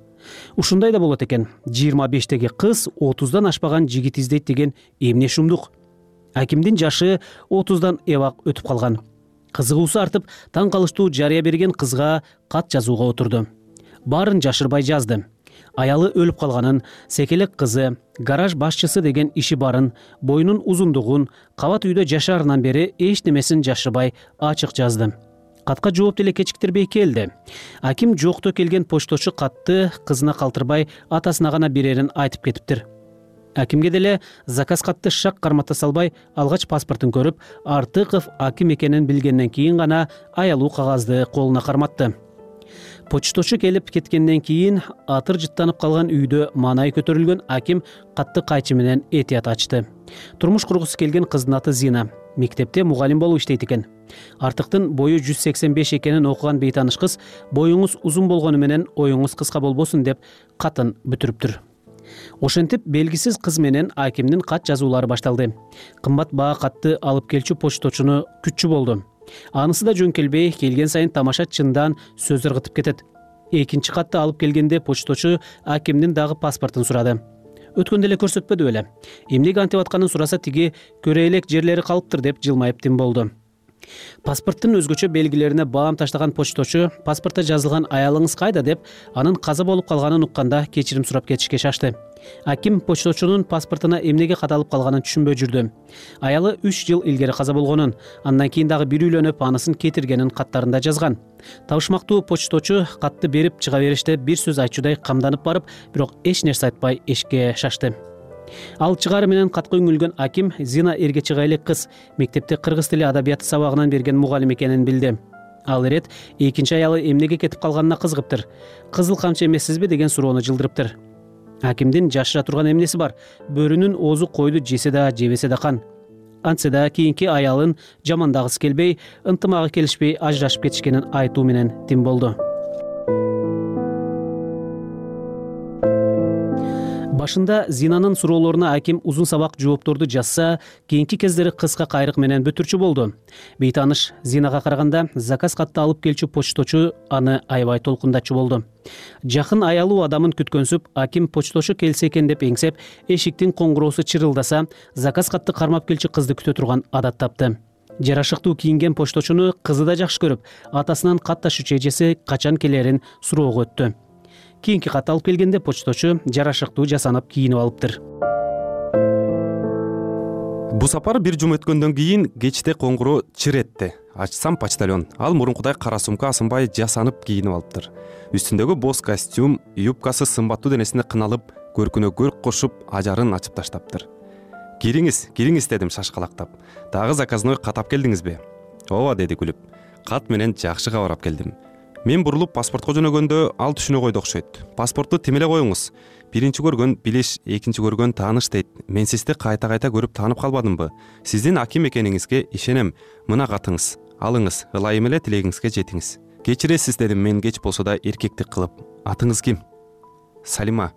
Speaker 2: Ушундай да болот экен. жыйырма бештеги кыз отуздан ашпаган жигит издейт деген эмне шумдук. Акимдин жашы отуздан эбак өтүп калган. Кызыгуусу артып, таң калыштуу жарыя берген кызга кат жазууга отурду. Баарын жашырбай жазды. Аялы өлүп калганын, Секелек кызы, гараж башчысы деген иши барын, боюнун узундугун, кабат үйдө жашаарынан бери эч немесин жашырбай ачык жазды. Катка жооп деле кечиктирбей келди. Аким жокто келген почточу катты кызына калтырбай атасына гана берерин айтып кетиптир. Акимге деле заказ катты шак кармата салбай, алгач паспортун көрүп, Артыков Аким экенин билгенден кийин гана аялуу кагазды колуна карматты. Почточу келип кеткенден кийин атыр жыттанып калган үйдө маанай көтөрүлгөн Аким катты кайчы менен этият ачты. Турмуш кургусу келген кыздын аты Зина. Мектепте мугалим болуп иштейт экен. Артыктын бою жүз сексен беш экенин окуган бейтаныш кыз, боюңуз узун болгону менен оюңуз кыска болбосун деп катын бүтүрүптүр. Ошентип белгисиз кыз менен Акимдин кат жазуулары башталды. Кымбат баа катты алып келчү почточуну күтчү болду. Анысы да жөн келбей, келген сайын тамаша чындан сөз ыргытып кетет. Экинчи катты алып келгенде почточу Акимдин дагы паспортун сурады. Өткөндө эле көрсөтпөдү беле. Эмнеге антип атканын сураса, тиги көрө элек жерлери калыптыр деп жылмайып тим болду. Паспорттун өзгөчө белгилерине баам таштаган почточу паспортто жазылган аялыңыз кайда деп анын каза болуп калганын укканда кечирим сурап кетишке шашты. Аким почточунун паспортуна эмнеге кадалып калганын түшүнбөй жүрдү. Аялы үч жыл илгери каза болгонун, андан кийин дагы бир үйлөнүп, анысын кетиргенин каттарында жазган. Табышмактуу почточу катты берип чыга бериште бир сөз айтчудай камданып барып, бирок эч нерсе айтпай эшикке шашты. Ал чыгары менен катка үңүлгөн Аким Зина эрге чыга элек кыз, мектепте кыргыз тили адабияты сабагынан берген мугалим экенин билди. Ал ирет экинчи аялы эмнеге кетип калганына кызыгыптыр. Кызыл камчы эмессизби деген суроону жылдырыптыр. Акимдин жашыра турган эмнеси бар? Бөрүнүн оозу койду жесе да, жебесе да кан. Антсе да кийинки аялын жамандагысы келбей, ынтымагы келишпей ажырашып кетишкенин айтуу менен тим болду. башында Зинанын суроолоруна аким узун сабак жоопторду жазса, кийинки кездери кыска кайрык менен бүтүрчү болду. Бейтаныш Зинага караганда заказ катты алып келчү почточу аны аябай толкундачу болду. Жакын аялуу адамын күткөнсүп, аким почточу келсе экен деп эңсеп, эшиктин коңгуроосу чырылдаса, заказ катты кармап келчү кызды күтө турган адат тапты. Жарашыктуу кийинген почточуну кызы да жакшы көрүп, атасынан кат ташуучу эжеси качан келерин суроого өттү. Кийинки кат алып келгенде почточу жарашыктуу жасанып кийинип алыптыр.
Speaker 16: Бу сапар бир жума өткөндөн кийин кечте коңгуроо чыр этти. Ачсам почтальон. Ал мурункудай кара сумка асынбай жасанып кийинип алыптыр. Үстүндөгү боз костюм, юбкасы сымбаттуу денесине кыналып, көркүнө көрк кошуп, ажарын ачып таштаптыр. Кириңиз, кириңиз дедим шашкалактап. Дагы заказной кат алып келдиңизби? Ооба деди күлүп. Кат менен жакшы кабар алып келдим. Мен бурулуп паспортко жөнөгөндө ал түшүнө койду окшойт. Паспортту тим эле коюңуз. Биринчи көргөн билиш, экинчи көргөн тааныш дейт. Мен сизди кайта-кайта көрүп таанып калбадымбы? Сиздин аким экениңизге ишенем. Мына катыңыз. Алыңыз, ылайым эле тилегиңизге жетиңиз. Кечиресиз дедим мен кеч болсо да эркектик кылып. Атыңыз ким? Салима.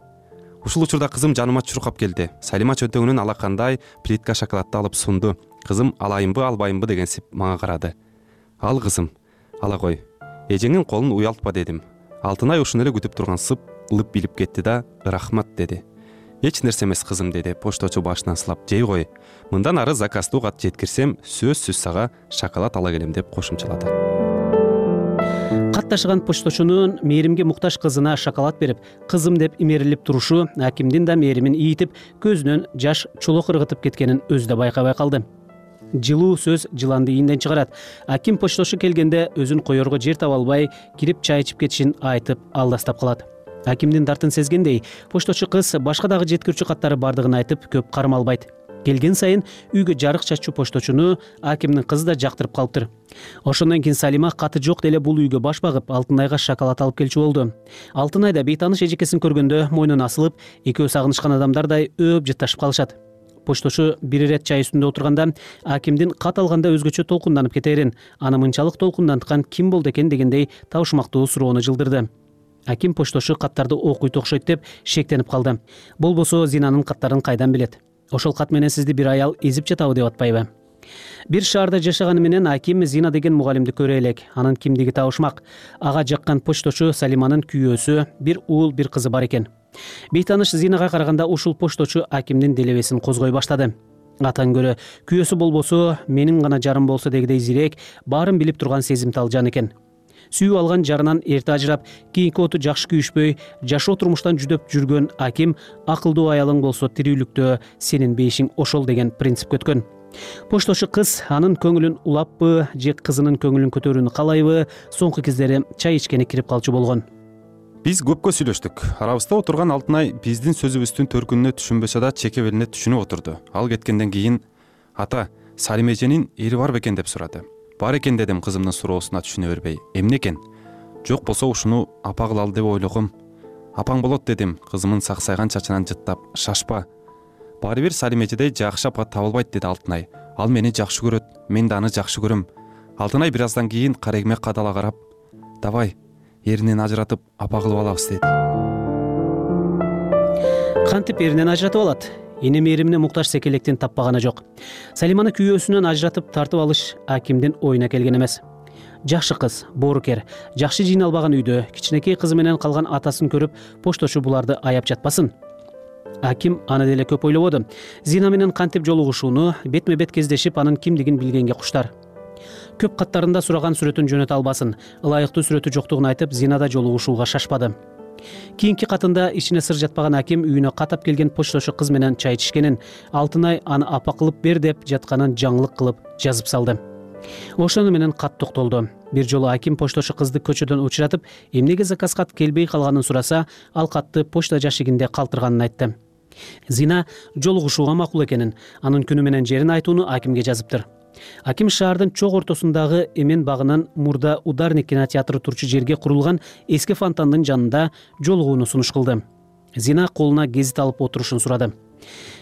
Speaker 16: Ушул учурда кызым жаныма чуркап келди. Салима чөнтөгүнөн алакандай плитка шоколадты алып сунду. Кызым алайымбы, албайымбы дегенсип мага карады. Ал кызым, ала кой. Эжеңин колун уялтпа дедим. Алтынай ушуну эле күтүп тургансып лып билип кетти да, рахмат деди. Эч нерсе эмес кызым деди почточу башынан сылап. Жей кой. Мындан ары заказдуу кат жеткирсем, сөзсүз сага шоколад ала келем деп кошумчалады. Кат
Speaker 2: ташыган почточунун мээримге муктаж кызына шоколад берип, кызым деп имерилип турушу акимдин да мээримин ийитип, көзүнөн жаш чулок ыргытып кеткенин өзү да байкабай калды. Жылуу сөз жыланды ийинден чыгарат. Аким почточу келгенде өзүн коерго жер таба албай, кирип чай ичип кетишин айтып алдастап калат. Акимдин дартын сезгендей, почточу кыз башка дагы жеткирүүчү каттары бардыгын айтып, көп кармалбайт. Келген сайын үйгө жарык чачуу почточуну акимдин кызы да жактырып калыптыр. Ошондон кийин Салима каты жок деле бул үйгө баш багып, Алтынайга шоколад алып келчү болду. Алтынай да бейтаныш эжекесин көргөндө мойнуна асылып, экөө сагынышкан адамдардай өөп жытташып калышат. Почточу бир ирет чай үстүндө отурганда акимдин кат алганда өзгөчө толкунданып кетерин, аны мынчалык толкунданткан ким болду экен дегендей табышмактуу суроону жылдырды. Аким почточу каттарды окуйт окшойт деп шектенип калды. Болбосо Зинанын каттарын кайдан билет? Ошол кат менен сизди бир аял эзип жатабы деп атпайбы? Бир шаарда жашаганы менен аким Зина деген мугалимди көрө элек. Анын кимдиги табышмак. Ага жаккан почточу Салиманын күйөөсү, бир уул, бир кызы бар экен. Бейтаныш Зинага караганда ушул почточу акимдин делебесин козгой баштады. Атан көрө күйөөсү болбосо, менин гана жарым болсо дегидей зирек, баарын билип турган сезимтал жан экен. Сүйүп алган жарынан эрте ажырап, кийинки оту жакшы күйүшпөй, жашоо турмуштан жүдөп жүргөн аким акылдуу аялың болсо тирүүлүктө сенин бейишиң ошол деген принципке өткөн. Почточу кыз анын көңүлүн улаппы, же кызынын көңүлүн көтөрүүнү каалайбы, соңку кездери чай ичкени кирип калчу болгон.
Speaker 16: Биз көпкө сүйлөштүк. Арабызда отурган Алтынай биздин сөзүбүздүн төркүнүнө түшүнбөсө да чеке белине түшүнүп отурду. Ал кеткенден кийин ата Салима эженин эри бар бекен деп сурады. Бар экен дедим кызымдын суроосуна түшүнө бербей. Эмне экен? Жок болсо ушуну апа кылалы деп ойлогом. Апаң болот дедим кызымын саксайган чачынан жыттап. Шашпа. Баары бир Салима эжедей жакшы апа табылбайт деди Алтынай. Ал мени жакшы көрөт, мен да аны жакшы көрөм. Алтынай бир аздан кийин карегиме кадала карап, давай эринен ажыратып апа кылып алабыз деди.
Speaker 2: Кантип эринен ажыратып алат? Эне мээримине муктаж секелектин таппаганы жок. Салиманы күйөөсүнөн ажыратып тартып алыш акимдин оюна келген эмес. Жакшы кыз, боорукер, жакшы жыйналбаган үйдө кичинекей кызы менен калган атасын көрүп, почточу буларды аяп жатпасын. Аким аны деле көп ойлободу. Зина менен кантип жолугушууну, бетме бет кездешип, анын кимдигин билгенге куштар. Көп каттарында сураган сүрөтүн жөнөтө албасын, ылайыктуу сүрөтү жоктугун айтып, Зинада жолугушууга шашпады. Кийинки катында ичине сыр жатпаган аким үйүнө катап келген почточу кыз менен чай ичишкенин, Алтынай аны апа кылып бер деп жатканын жаңылык кылып жазып салды. Ошону менен кат токтолду. Бир жолу аким почточу кызды көчөдөн учуратып, эмнеге заказ кат келбей калганын сураса, ал катты почта жашигинде калтырганын айтты. Зина жолугушууга макул экенин, анын күнү менен жерин айтууну акимге жазыптыр. Аким шаардын чок ортосундагы Эмен багынын мурда Ударник кинотеатры турчу жерге курулган эски фонтандын жанында жолугууну сунуш кылды. Зина колуна гезит алып отурушун сурады.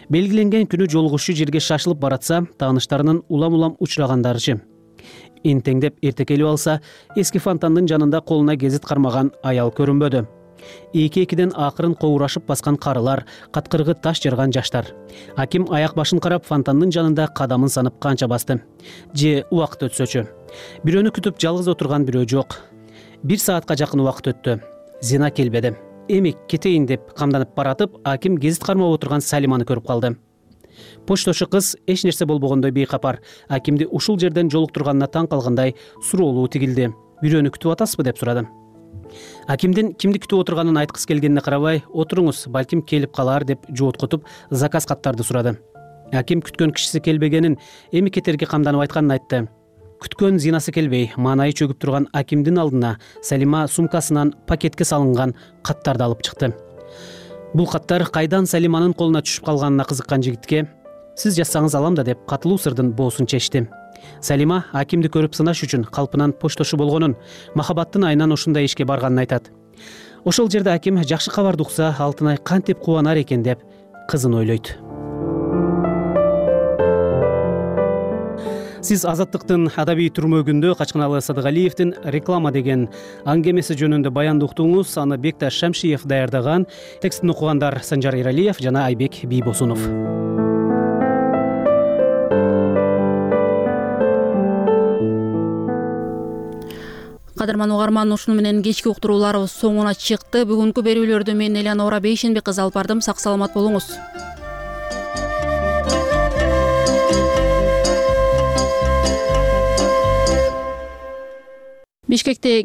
Speaker 2: Белгиленген күнү жолугушуу жерге шашылып баратса, тааныштарынын улам-улам учурагандарычы. Энтеңдеп эрте келип алса, эски фонтандын жанында колуна гезит кармаган аял көрүнбөдү. эки экиден акырын коурашып баскан карылар, каткыргы таш жарган жаштар. Аким аяк башын карап фонтандын жанында кадамын санып канча басты. Же убакыт өтсөчү. Бирөөнү күтүп жалгыз отурган бирөө жок. Бир саатка жакын убакыт өттү. Зина келбеди. Эми кетейин деп камданып баратып, аким гезит кармап отурган Салиманы көрүп калды. Почтошу кыз эч нерсе болбогондой бейкапар, акимди ушул жерден жолуктурганына таң калгандай суроолуу тигилди. Бирөөнү күтүп атасызбы деп сурады. Акимдин кимди күтүп отурганын айткысы келгенине карабай, отуруңуз, балким келип калар деп жооткотуп, заказ каттарды сурады. Аким күткөн кишиси келбегенин, эми кетерге камданып айтканын айтты. Күткөн Зинасы келбей, маанайы чөгүп турган акимдин алдына Салима сумкасынан пакетке салынган каттарды алып чыкты. Бул каттар кайдан Салиманын колуна түшүп калганына кызыккан жигитке "Сиз жазсаңыз алам да" деп катылуу сырдын боосун чечти. Салима акимди көрүп сынаш үчүн калпынан почтошу болгонун, махабаттын айынан ушундай ишке барганын айтат. Ошол жерде аким жакшы кабарды укса, Алтынай кантип кубанар экен деп кызын ойлойт. Сиз Азаттыктын адабий түрмөгүндө Качкыналы Садыгалиевдин "Реклама" деген аңгемеси жөнүндө баянды уктуңуз. Аны Бекташ Шамшиев даярдаган. Текстин окугандар Санжар Иралиев жана Айбек Бийбосунов.
Speaker 1: Кадырман угарман, ушуну менен кечки уктурууларыбыз соңуна чыкты. Бүгүнкү берүүлөрдү мен Элеонора Бейшенбек кызы алып бардым. Сак саламат болуңуз. Бишкекте